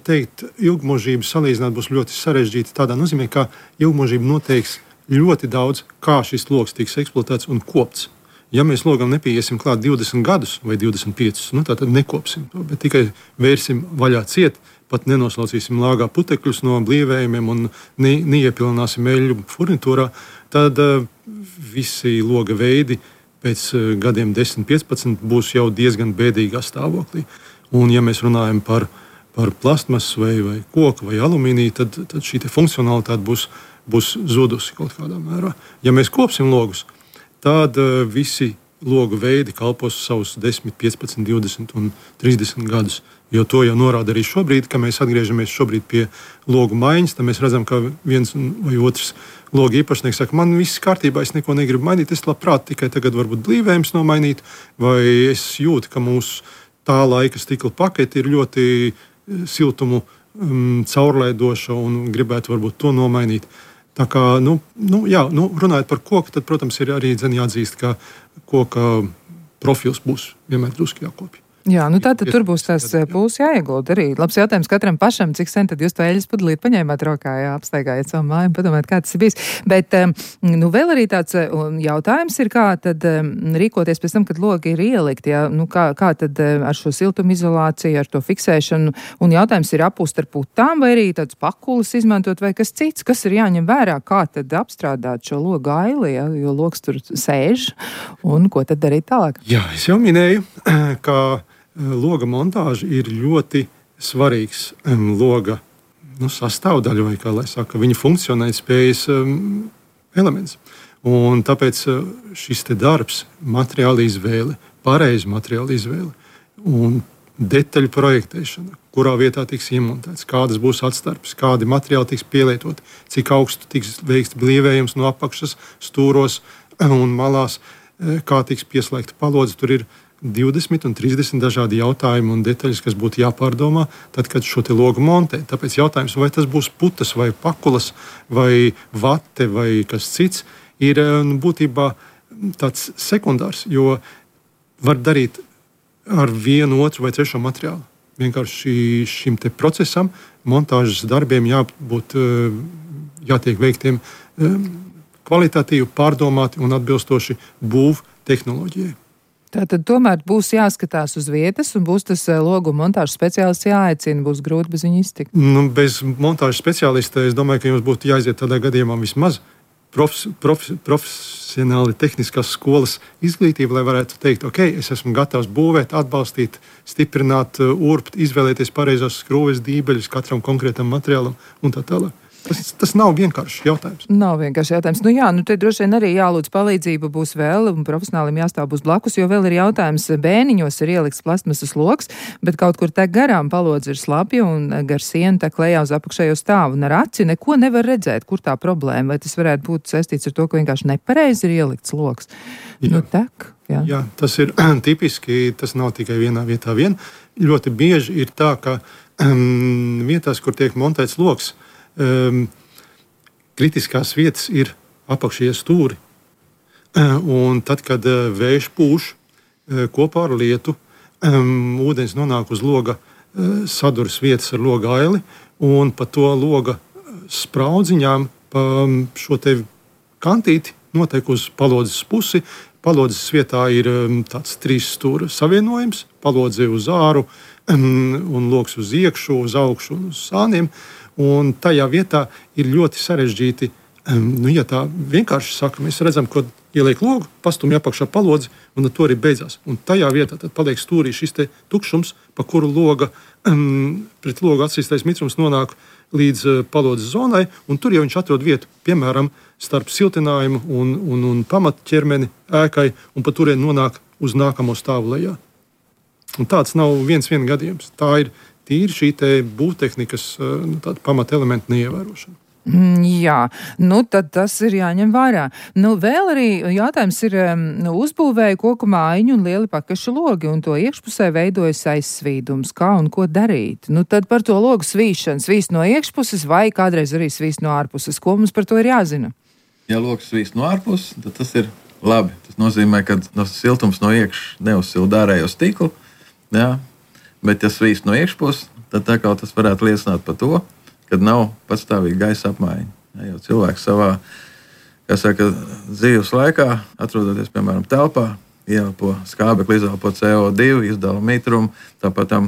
D: teikt, ilgmūžība salīdzināt būs ļoti sarežģīta tādā nozīmē, ka ilgmūžība noteiks ļoti daudz, kā šis logs tiks eksploatēts un kopts. ja mēs logam nepieiesim klāt divdesmit gadus vai divdesmit piecus, nu, tad nekopsim to, bet tikai vērsim vaļā ciet, pat nenoslaucīsim lāgā putekļus no blīvējumiem un ne, neiepilināsim eļļu furnitūrā, tad uh, visi loga veidi pēc uh, gadiem desmit, piecpadsmit būs jau diezgan bēdīgā stāvoklī. Un, ja mēs runājam par, par plastmasu vai, vai koku vai alumīniju, tad, tad šī funkcionalitāte būs, būs zudusi kaut kādā mērā. Ja mēs kopsim logus, tad uh, visi logu veidi kalpos savus desmit, piecpadsmit, divdesmit un trīsdesmit gadus. Jo to jau norāda arī šobrīd, kad mēs atgriežamies šobrīd pie logu maiņas, tad mēs redzam, ka viens vai otrs logu īpašnieks saka, man viss kārtībā, es neko negribu mainīt, es labprāt tikai tagad varbūt blīvējums nomainīt, vai es jūtu, ka mūsu tā laika stikla pakete ir ļoti siltumu um, caurlaidoša un gribētu varbūt to nomainīt. Tā kā, nu, nu, jā, nu, runājot par koku, tad, protams, ir arī dzen jāatzīst, ka koka profils būs vienmēr drusku jākopja.
B: Jā, nu tātad tur būs tās pūles jāiegulda arī. Labs jautājums katram pašam, cik sen tad jūs to eļas pudelīti paņēmāt rokā, jā, apstaigājat savu māju, padomājat, kā tas ir bijis. Bet, nu, vēl arī tāds jautājums ir, kā tad rīkoties pēc tam, kad logi ir ielikti, jā, nu, kā, kā tad ar šo siltumizolāciju, ar to fiksēšanu, un jautājums ir apūst ar putām, vai arī tāds pakulis izmantot, vai kas cits, kas ir jāņem vērā, kā tad apstrādāt šo logu aili, jā, jo logs tur sēž, un ko tad darīt tālāk?
D: Jā, es jau minēju, ka loga montāža ir ļoti svarīgs um, loga nu, sastāvdaļa, vai kā lai saka, viņa funkcionēt spējas um, elements. Un tāpēc uh, šis te darbs, materiāla izvēle, pareiza materiāla izvēle un detaļu projektēšana, kurā vietā tiks iemontēts, kādas būs atstarpes, kādi materiāli tiks pielietoti, cik augstu tiks veikts blīvējums no apakšas, stūros un malās, kā tiks pieslēgta palodze. Tur ir divdesmit un trīsdesmit dažādi jautājumi un detaļas, kas būtu jāpārdomā, tad, kad šo te logu montē. Tāpēc jautājums, vai tas būs putas, vai pakulas, vai vate, vai kas cits, ir būtībā tāds sekundārs, jo var darīt ar vienu, otru vai trešo materiālu. Vienkārši šim te procesam, montāžas darbiem jābūt, jātiek veiktiem kvalitatīvi, pārdomāti un atbilstoši būv tehnoloģijai.
B: Tātad tomēr būs jāskatās uz vietas un būs tas logu montāžas speciālists jāaicina, būs grūti bez viņa iztikt.
D: Nu, bez montāžas speciālista es domāju, ka jums būtu jāiziet tādā gadījumā vismaz profes, profes, profesionāli tehniskās skolas izglītība, lai varētu teikt, ok, es esmu gatavs būvēt, atbalstīt, stiprināt, urbt, izvēlēties pareizās skrūves, dībeļus katram konkrētam materiālam un tā tālāk. Tas, tas nav vienkāršs jautājums.
B: Nav vienkārši jautājums. Nu jā, nu te droši vien arī jālūdz palīdzība būs vēl, un profesionālim jāstāv būs blakus, jo vēl ir jautājums, bēniņos ir ielikts plastmasas loks, bet kaut kur te garām palodze ir slapja un gar sienu tā klējā uz apakšējo stāvu, un ar aci neko nevar redzēt, kur tā problēma, vai tas varētu būt saistīts ar to, ka vienkārši nepareizi ir ielikts loks. Jā. Nu tak, jā.
D: Jā, tas ir tipiski, tas nav tikai vienā vietā vien. Ļoti bieži ir tā, ka um, vietās, kur tiek montēts loks, Um, kritiskās vietas ir apakšie stūri. Uh, un tad, kad uh, vējš pūš uh, kopā ar lietu, um, ūdens nonāk uz loga uh, saduras vietas ar loga aili, un pa to loga spraudziņām pa um, šo te kantīti notiek uz palodzes pusi. Palodzes vietā ir um, tāds trīs stūra savienojums, palodze uz āru um, un loks uz iekšu, uz augšu un uz sāniem. Un tajā vietā ir ļoti sarežģīti, um, nu, ja tā vienkārši saka, mēs redzam, ko ieliek logu, pastumj apakšā palodzi, un to arī beidzās. Un tajā vietā tad paliek stūrī šis te tukšums, pa kuru loga, um, pret logu atsīstais mitrums nonāk līdz uh, palodzes zonai, un tur jau viņš atrod vietu, piemēram, starp siltinājumu un, un, un pamatķermeni ēkai, un pa turien nonāk uz nākamo stāvu lejā. Un tāds nav viens vien gadījums. Tā ir tīri šī te būvtehnikas nu, pamata elementa neievērošana.
B: Mm, jā, nu tad tas ir jāņem vērā. Nu, vēl arī jautājums ir nu, uzbūvēja koku mājiņu un lieli pakašu logi, un to iekšpusē veidojas aizsvīdums. Kā un ko darīt? Nu, tad par to logu svīšanu. Svīst no iekšpuses vai kādreiz arī svīst no ārpuses. Ko mums par to ir jāzina?
A: Ja logs svīst no ārpuses, tad tas ir labi. Tas nozīmē, ka no siltums no iekšas neuzsilda ārējo stiklu. Jā. Bet, ja svīst no iekšpuses, tad tā kā tas varētu liecināt par to, ka nav pastāvīga gaisa apmaiņa. Ja, jo cilvēks savā Kā saka, dzīves laikā, atrodoties, piemēram, telpā, ieelpo skābekli, izelpo C O divi, izdala mitrumu, tāpat tam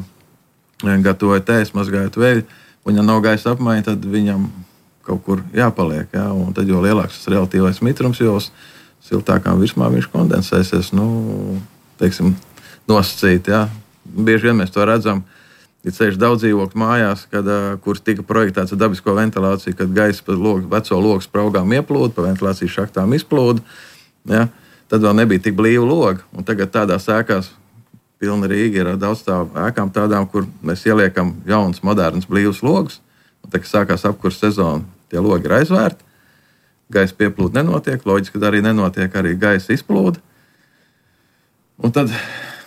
A: gatavoja tējas, mazgājot veļu, un ja nav gaisa apmaiņa, tad viņam kaut kur jāpaliek, jā, un tad jo lielāks tas relatīvais mitrums, jo siltākām virsmā viņš kondensēsies, nu, teiksim, nosacīt, jā. Bieži vien mēs to redzam, ir ceļš daudz dzīvokļu mājās, kad, kur tika projektēts ar dabisko ventilāciju, kad gaisa pa logu, veco logu spraugām ieplūda, pa ventilācijas šaktām izplūda, jā. Tad vēl nebija tik blīva loga, un tagad tādās ēkās pilna Rīga ir ar daudzstāvu ēkām tādām, kur mēs ieliekam jaunas, modernas, blīvas logus, un tad, kad sākās apkurs sezona, tie logi ir aizvērti, gaisa pieplūda nenotiek, loģiski, kad arī nenotiek, arī gaisa izplūda. Un tad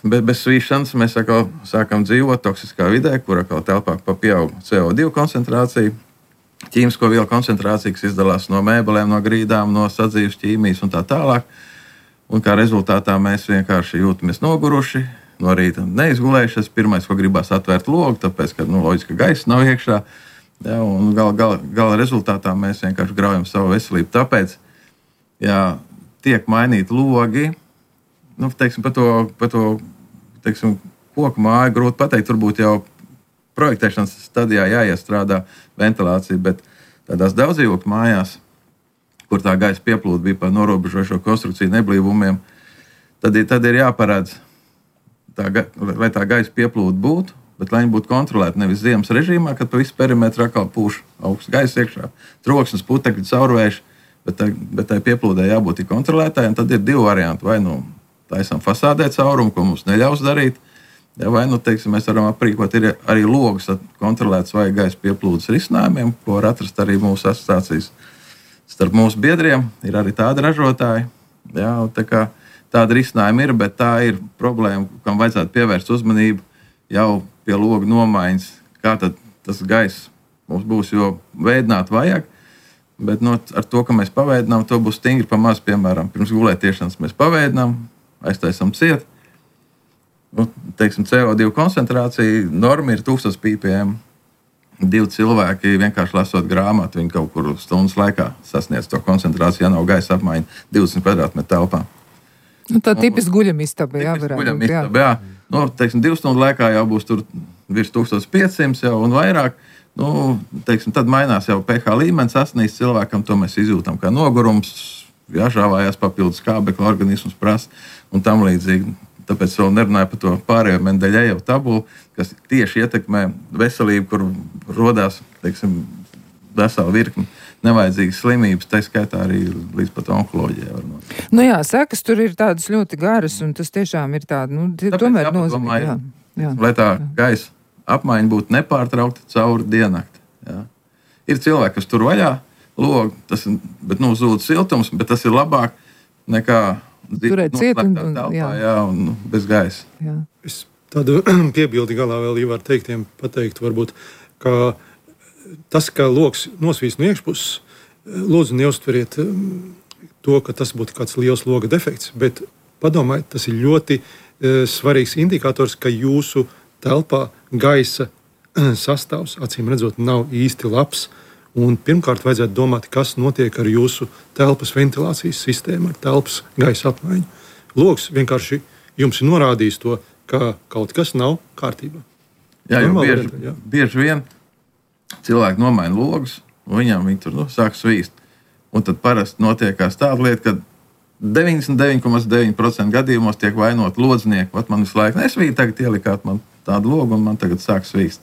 A: bez, bez svīšanas mēs atkal sākam dzīvot toksiskā vidē, kur atkal telpā pieaug C O divi koncentrācija, ķīmisko vielu koncentrācija, kas izdalās no mēbelēm, no grīdām, no sadzīves ķīmijas un tā tālāk. Un kā rezultātā mēs vienkārši jūtamies noguruši, no rīta neizgulējušies. Pirmais, ko gribās atvērt logu, tāpēc, ka, nu, loģiski, ka gaisa nav iekšā. Ja, un gala, gala, gala rezultātā mēs vienkārši graujam savu veselību. Tāpēc, ja tiek mainīti logi, nu, teiksim, par to, par to teiksim, koku māju grūti pateikt, turbūt jau projektēšanas stadijā jāiestrādā ventilācija, bet tādās daudzdzīvokļu mājās, kur tā gaisa pieplūda bija par norobežošo konstrukciju neblīvumiem, tad ir, tad ir jāparādz, tā, lai tā gaisa pieplūda būtu, bet lai viņi būtu kontrolēti nevis ziemas režīmā, kad pa visu perimetru atkal pūš augsts gaisa iekšā, troksnis, putekļi, caurvējš, bet tai, bet tai pieplūdē jābūt kontrolētāji, un tad ir divi varianti. Vai nu taisam fasādē caurumu, ko mums neļaus darīt, ja, vai nu, teiksim, mēs varam aprīkot ir arī logus kontrolētas vai gaisa pieplūdes risinājumiem, ko var atrast arī mūsu asociācijas. Starp mūsu biedriem ir arī tādi ražotāji. Jā, tā kā tāda risinājuma ir, bet tā ir problēma, kam vajadzētu pievērst uzmanību jau pie logu nomaiņas. Kā tad tas gaiss mums būs, jo veidināt vajag, bet no, ar to, ka mēs paveidinām, to būs stingri pa maz. Piemēram, pirms gulētiešanas mēs paveidinām, aiztaisam ciet. Nu, teiksim, C O divi koncentrācija norma ir tūkstoš ppm. Divi cilvēki vienkārši lasot grāmatu, viņi kaut kur stundas laikā sasniedz to koncentrāciju, ja nav gaisa apmaiņa divdesmit kvadrātmetru telpā.
B: Nu, tā tipiski guļamistaba, jā, varētu
A: būt. Guļamistaba, jā. Nu, teiksim, divu stundu laikā jau būs tur virs tūkstoš piecsimt jau un vairāk. Nu, teiksim, tad mainās jau pH līmenis, sasniedz cilvēkam, to mēs izjūtam kā nogurums, jāžāvājās papildus skābekļa, organisms prasa un tam līdzīgi. Tāpēc vēl nerunāju par to pārējo Mendeļejevu tabulu, kas tieši ietekmē veselību, kur rodās, teiksim, vesela virkni nevajadzīgas slimības, tā skaitā arī līdz pat onkoloģijai.
B: Nu jā, sekas tur ir tādas ļoti garas, un tas tiešām ir tāda, nu, tomēr nozīmē. Jā, jā,
A: lai tā
B: jā.
A: gaisa apmaiņa būtu nepārtraukta cauri diennakti. Jā. Ir cilvēki, kas tur vaļā logu, tas, bet, nu, zūd siltums, bet tas ir labāk nekā
B: turēt ciet un, un,
A: telpā,
B: jā.
A: Jā, un bez gaisa.
B: Jā.
D: Es tādu piebildi galā vēl Ivar teiktiem pateikt, varbūt, ka tas, ka loks nosvīst no iekšpuses, lūdzu neuztveriet to, ka tas būtu kāds liels loga defekts, bet padomājiet, tas ir ļoti e, svarīgs indikators, ka jūsu telpā gaisa sastāvs, acīm redzot, nav īsti labs. Un pirmkārt, vajadzētu domāt, kas notiek ar jūsu telpas ventilācijas sistēmu, ar telpas gaisa apmaiņu. Logs vienkārši jums ir norādījis to, ka kaut kas nav kārtībā.
A: Jā, jau bieži,
D: variantā, jā.
A: bieži vien cilvēki nomaina logus, un viņām viņi tur nu, sāk svīst. Un tad parasti notiekās tāda lieta, ka deviņdesmit deviņi komats deviņi procenti gadījumos tiek vainot lodznieki. Vat man visu laiku nesvīt, tagad ielikāt man tādu logu, un man tagad sāk svīst.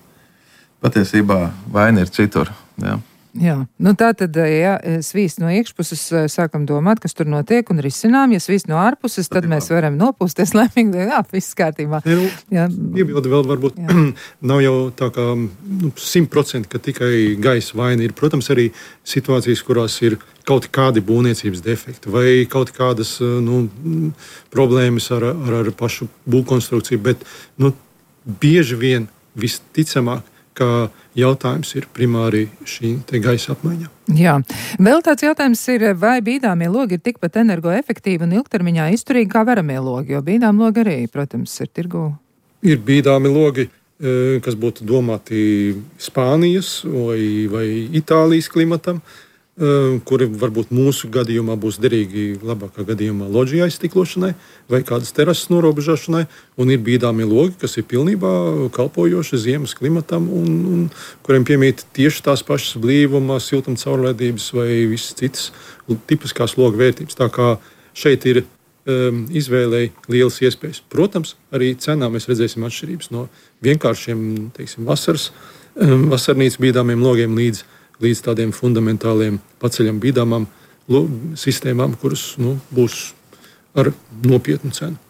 A: Patiesībā vaina ir citur. Jā.
B: Jā, nu tā tad, ja svīst no iekšpuses, sākam domāt, kas tur notiek un risinām. Ja svīst no ārpuses, tad mēs varam nopūsties laimīgi, jā, viss kārtībā.
D: Jā, iebildi vēl varbūt nav jau tā kā nu, simt procenti, ka tikai gaisa vaina ir. Protams, arī situācijas, kurās ir kaut kādi būvniecības defekti vai kaut kādas nu, problēmas ar, ar, ar pašu būvkonstrukciju, bet nu, bieži vien visticamāk, ka jautājums ir primāri šī gaisa apmaiņa.
B: Jā. Vēl tāds jautājums ir, vai bīdāmie logi ir tikpat energoefektīvi un ilgtermiņā izturīgi kā veramie logi, jo bīdām logi arī, protams, ir tirgū.
D: Ir bīdāmi logi, kas būtu domāti Spānijas vai, vai Itālijas klimatam, kuri varbūt mūsu gadījumā būs derīgi labākā gadījumā loģija aizstiklošanai vai kādas terases norobežošanai, un ir bīdāmie logi, kas ir pilnībā kalpojoši ziemas klimatam un, un kuriem piemīt tieši tās pašas blīvuma, siltuma caurlaidības vai visas citas tipiskās loga vērtības. Tā kā šeit ir um, izvēlei lielas iespējas. Protams, arī cenā mēs redzēsim atšķirības no vienkāršiem, teiksim, vasaras, um, vasarnīcas bīdāmiem logiem līdz līdz tādiem fundamentāliem paceļam bīdāmām sistēmām, kuras nu, būs ar nopietnu cenu.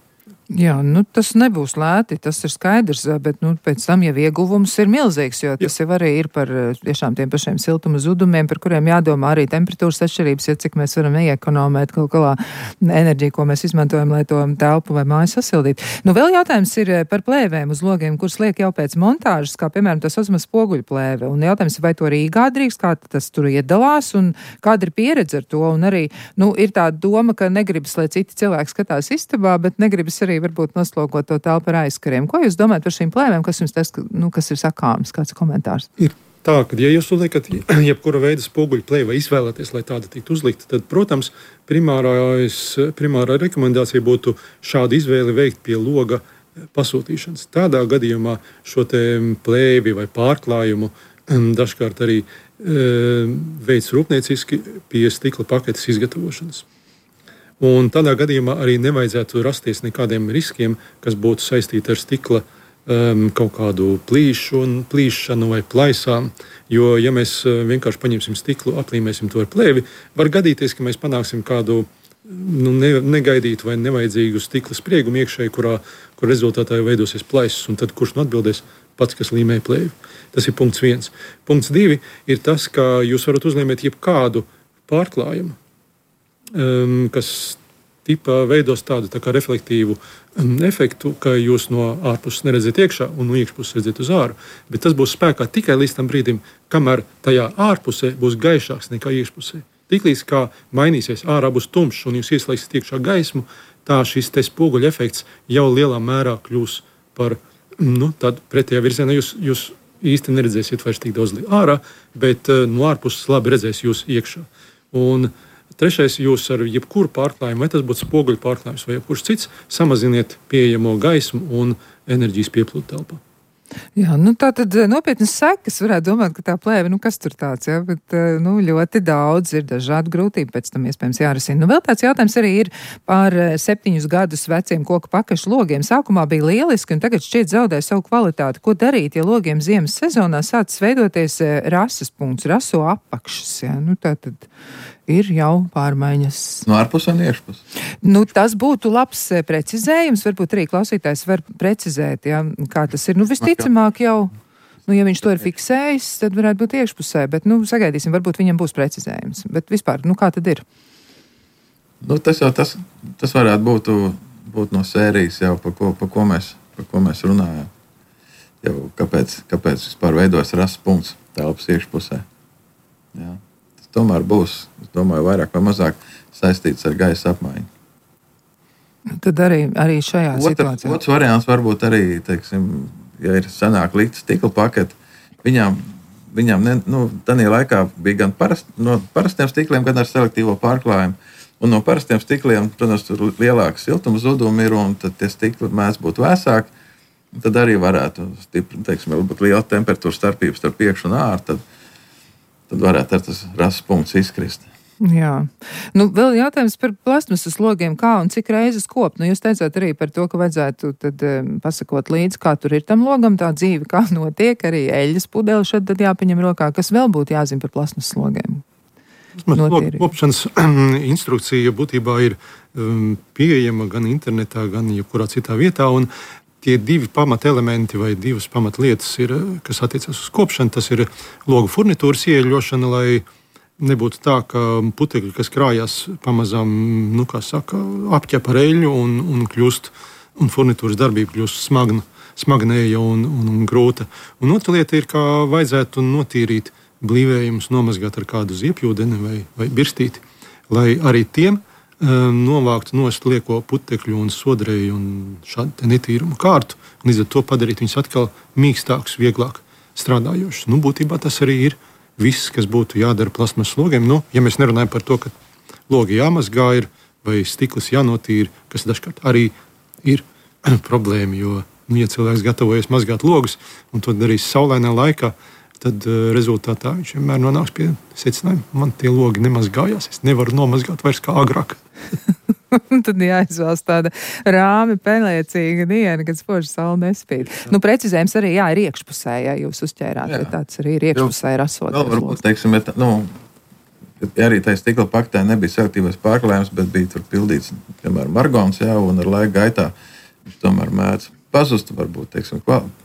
B: Jā, nu tas nebūs lēti, tas ir skaidrs, bet nu, pēc tam jau ieguvums ir milzīgs, jo tas jau arī ir par tiešām tiem pašiem siltuma zudumiem, par kuriem jādomā arī temperatūras atšķirības, ja cik mēs varam iekonomēt kaut kādā enerģiju, ko mēs izmantojam, lai to telpu vai māju sasildītu. Nu, vēl jautājums ir par plēvēm uz logiem, kuras liek jau pēc montāžas, kā piemēram tas uzmaz spoguļu plēve. Un jautājums ir, vai to Rīgā drīkst, kā tas tur iedalās un kāda ir pieredze ar to. Un arī, nu, ir tā doma, ka negribas, lai citi cilvēki skatās istabā, bet negribas arī varbūt noslogot to telpu ar aizkariem. Ko jūs domājat par šīm plēvēm? Kas jums tas, nu, kas ir sakāms? Kāds komentārs?
D: Ir tā, ka, ja jūs uzliekat jebkura veida spoguļu plēvi vai izvēlaties, lai tāda tiktu uzlikta, tad, protams, primārās, primārā rekomendācija būtu šādu izvēli veikt pie loga pasūtīšanas. Tādā gadījumā šo te plēvi vai pārklājumu dažkārt arī e, veids rūpnieciski pie stikla paketes izgatavošanas. Un tādā gadījumā arī nevajadzētu rasties nekādiem riskiem, kas būtu saistīti ar stikla um, kaut kādu plīšu, plīšanu vai plaisām. Jo, ja mēs vienkārši paņemsim stiklu, aplīmēsim to ar plēvi, var gadīties, ka mēs panāksim kādu nu, ne, negaidītu vai nevajadzīgu stikla spriegumu iekšēji, kurā, kur rezultātā veidosies plaisas, un tad kurš nu atbildēs? Pats, kas līmē plēvi. Tas ir punkts viens. Punkts divi ir tas, ka jūs varat uzlīmēt jebkādu pārklājumu, Um, kas tipā veidos tādu tā kā reflektīvu um, efektu, ka jūs no ārpuses neredzat iekšā un no iekšpuses redzat uz āru. Bet tas būs spēkā tikai līdz tam brīdim, kamēr tajā ārpusē būs gaišāks nekā iekšpusē. Tiklīdz kā mainīsies, ārā būs tumšs un jūs ieslēgsiet iekšā gaismu, tā šis te spoguļa efekts jau lielā mērā kļūs par nu, tādu pretējā virzienā. Jūs, jūs īsti neredzēsiet vairs tik daudz ārā, bet uh, no ārpuses labi redzēs jūs iekšā. Un trešais, jūs ar jebkuru pārklājumu, vai tas būtu spoguļu pārklājums vai jebkurš cits, samaziniet pieejamo gaismu un enerģijas pieplūdu telpā.
B: Jā, nu tā tad nopietnas sekas varētu domāt, ka tā plēve, nu kas tur tāds, jā, bet nu ļoti daudz ir dažādu grūtību pēc tam iespējams jārisina. Nu vēl tāds jautājums arī ir par septiņus gadus veciem koku pakašu logiem. Sākumā bija lieliski un tagad šķiet zaudē savu kvalitāti. Ko darīt, ja logiem ziemas sezonā sācis veidoties rases punkts, raso apakšas, jā, nu tā tad ir jau pārmaiņas.
A: No ārpuses un iekšpuses.
B: Nu, tas būtu labs precizējums. Varbūt arī klausītājs var precizēt, ja, kā tas ir. Nu, visticamāk jau, nu, ja viņš to ir fiksējis, tad varētu būt iekšpusē, bet, nu, sagaidīsim, varbūt viņam būs precizējums. Bet vispār, nu, kā tad ir?
A: Nu, tas jau tas, tas varētu būt, būt no sērijas jau, par ko, par ko, mēs, par ko mēs runājam. Jau kāpēc, kāpēc vispār veidojas rases punkts telpas iekšpusē. Jā. Tomēr būs, es domāju, vairāk vai mazāk saistīts ar gaisa apmaiņu.
B: Tad arī, arī šajā
A: Otra,
B: situācijā.
A: Otrs variants varbūt arī, teiksim, ja ir senāk likta stikla pakete, viņām, viņām ne, nu, tādā laikā bija gan parast, no parastiem stikliem, gan ar selektīvo pārklājumu. Un no parastiem stikliem, protams, tur lielāka siltuma zuduma ir, un tad tie stikli mēdz būt vēsāki. Tad arī varētu stipri, teiksim, būt liela temperatūra starpības starp priekšu un āru. Tad, tad varētu ar tas rases punkts izkrist.
B: Jā. Nu, vēl jautājums par plastmasas logiem, kā un cik reizes kopt. Nu, jūs teicāt arī par to, ka vajadzētu tad um, pasakot līdzi, kā tur ir tam logam, tā dzīve, kā notiek, arī eļļas pudeli šad tad jāpaņem rokā. Kas vēl būtu jāzina par plastmasas logiem?
D: Kopšanas instrukcija būtībā ir um, pieejama gan internetā, gan jebkurā citā vietā, un tie divi pamatelementi vai divas pamatlietas, ir, kas attiecas uz kopšanu, tas ir logu furnitūras ieeļošana, lai nebūtu tā, ka putekļi, kas krājās pamazām, nu, kā saka, apķep ar eļļu un, un kļūst, un furnitūras darbība kļūst smagna, smagnēja un, un, un grūta. Un otra lieta ir, kā vajadzētu notīrīt blīvējumus, nomazgāt ar kādu ziepjūdeni vai, vai birstīti, lai arī tiem novākt nost lieko putekļu un sodrēju un šādu netīrumu kārtu, un līdz ar to padarīt viņus atkal mīkstākus, vieglāk strādājošus. Nu, būtībā tas arī ir viss, kas būtu jādara plasmas logiem. Nu, ja mēs nerunājam par to, ka logi jāmazgā ir, vai stikls jānotīra, kas dažkārt arī ir problēma, jo, nu, ja cilvēks gatavojas mazgāt logus un to darīs saulainā laikā, tad uh, rezultātā viņš vienmēr nonāks pie secinājuma, man tie logi nemazgājās, es nevaru nomazgāt vairs kā agrāk.
B: Tad jāizvēlas tāda rāmi, pelēcīga diena, kad spoži saule nespīd. Nu, precizējums arī, jā, ir iekšpusē, ja jūs uzķērāt, jā. Tāds arī ir iekšpusē rasot.
A: Vēl varbūt, teiksim, ja, nu, ja arī tai stikla paktē nebija selektīvais pārklājums, bet bija tur pildīts, piemēram, margons, jā, un ar laika gaitā viņš tomēr mēdz pazust, varbūt, teiksim,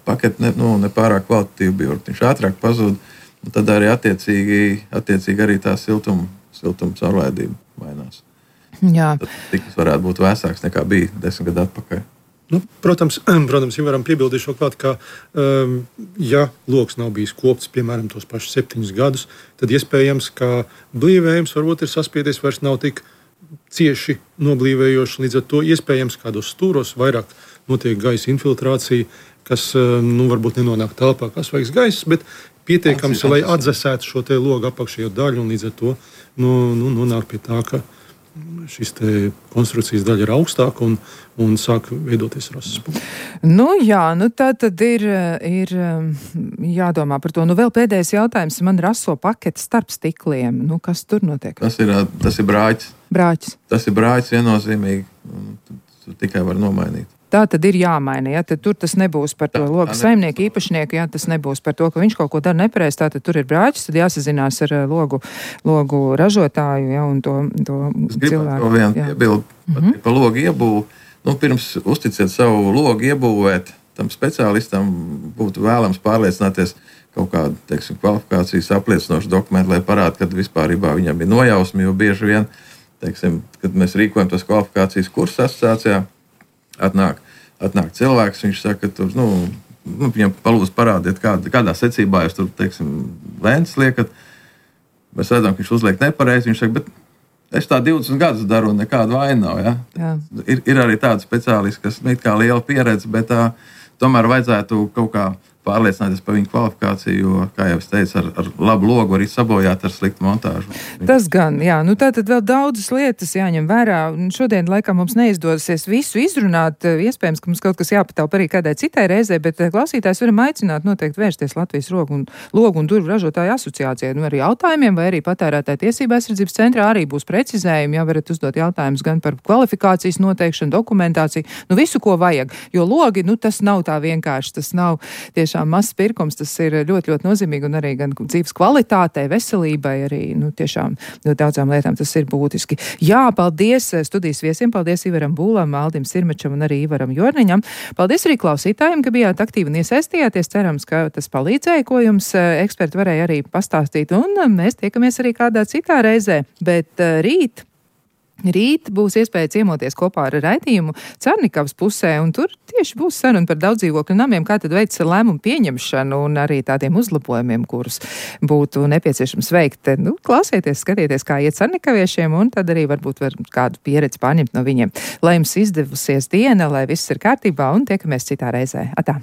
A: paketi ne, nu, nepārāk kvalitatīvi bija, viņš ātrāk pazūd, un tad arī attiecīgi, attiecīgi arī tā siltuma, siltuma caurlaidība mainās.
B: Jā.
A: Tad stikls varētu būt vēsāks nekā bija desmit gadu atpakaļ.
D: Nu, protams, protams, ja varam piebildīt šo klāt, ka, um, ja loks nav bijis kopts, piemēram, tos pašus septiņus gadus, tad iespējams, ka blīvējums varbūt ir saspiedies, vairs nav tik cieši noblīvējoši, līdz ar to iespējams kādos stūros vairāk notiek gaisa infiltrācija, kas, nu, varbūt nenonāk telpā kā svaigs gaiss, bet pietiekams, lai atdzesētu šo te logu apakšējo daļu, un līdz ar to, nu, nu, nonāk pie tā, ka šis te konstrukcijas daļa ir augstāka un, un sāk veidoties rasas punkti.
B: Nu jā, nu tā tad ir, ir jādomā par to. Nu vēl pēdējais jautājums. Man raso paketi starp stikliem. Nu kas tur notiek?
A: Tas ir, tas ir brāķis.
B: Brāķis.
A: Tas ir brāķis viennozīmīgi. Tu tikai var nomainīt.
B: Tā tad ir jāmaina, ja tad tur tas nebūs par to logu saimnieku īpašnieku, ja tas nebūs par to, ka viņš kaut ko dara nepareizi, tā tad tur ir brāķis, tad jāsazinās ar logu, logu ražotāju, ja, un to, to
A: es
B: cilvēku.
A: Es gribētu piebildu mm-hmm. par logu iebūvu. Nu, pirms uzticiet savu logu iebūvēt, tam speciālistam būtu vēlams pārliecināties kaut kādu, teiksim, kvalifikācijas apliecinošu dokumentu, lai parāda, kad vispārībā viņam ir nojausmi, jo bieži vien, teiksim, kad mēs rīkojam tos kvalifikācijas kursu asociācijā, Atnāk, atnāk cilvēks, viņš saka, ka tur, nu, nu, viņam palūdz parādiet, kādā, kādā secībā jūs tur, teiksim, lēns liekat. Mēs redzam, ka viņš uzliek nepareizi. Viņš saka, bet es tā divdesmit gadus daru un nekāda vaina nav. Ja?
B: Jā.
A: Ir, ir arī tādi speciālisti, kas ir kā liela pieredze, bet tā, tomēr vajadzētu kaut kā pārliecināties par viņu kvalifikāciju, jo, kā jau es teicu, ar, ar labu logu arī sabojāt ar sliktu montāžu.
B: Tas gan, jā, nu tā tad vēl daudzas lietas jāņem vērā. Šodien, laikam, mums neizdosies visu izrunāt. Iespējams, ka mums kaut kas jāpatāp arī kādai citai reizē, bet klausītājs varam aicināt noteikti vērsties Latvijas logu un, logu un durvju ražotāju asociācijai. Nu, arī jautājumiem vai arī patērētāju tiesību aizsardzības centrā arī būs precizējumi. Jā, varat uzdot jautājumus gan par kvalifikācijas noteikšanu, dokumentāciju, nu visu, ko vajag. Jo logi, nu tas nav tā vienkārši, tas nav tieši mazs pirkums, tas ir ļoti, ļoti nozīmīgi un arī gan dzīves kvalitātei, veselībai, arī, nu, tiešām ļoti daudzām lietām tas ir būtiski. Jā, paldies studijas viesiem, paldies Ivaram Būlam, Aldim Sirmečam un arī Ivaram Jorniņam. Paldies arī klausītājiem, ka bijāt aktīvi un iesaistījāties. Cerams, ka tas palīdzēja, ko jums eksperti varēja arī pastāstīt, un mēs tiekamies arī kādā citā reizē, bet rīt Rīt būs iespēja ciemoties kopā ar raidījumu Cernikavas pusē, un tur tieši būs saruna par daudzdzīvokļu namiem, kā tad veids lēmumu pieņemšanu un arī tādiem uzlabojumiem, kurus būtu nepieciešams veikt. Nu, klausieties, skatieties, kā iet Cernikaviešiem, un tad arī varbūt var kādu pieredzi pārņemt no viņiem. Lai jums izdevusies diena, lai viss ir kārtībā, un tiekamies citā reizē. Atā!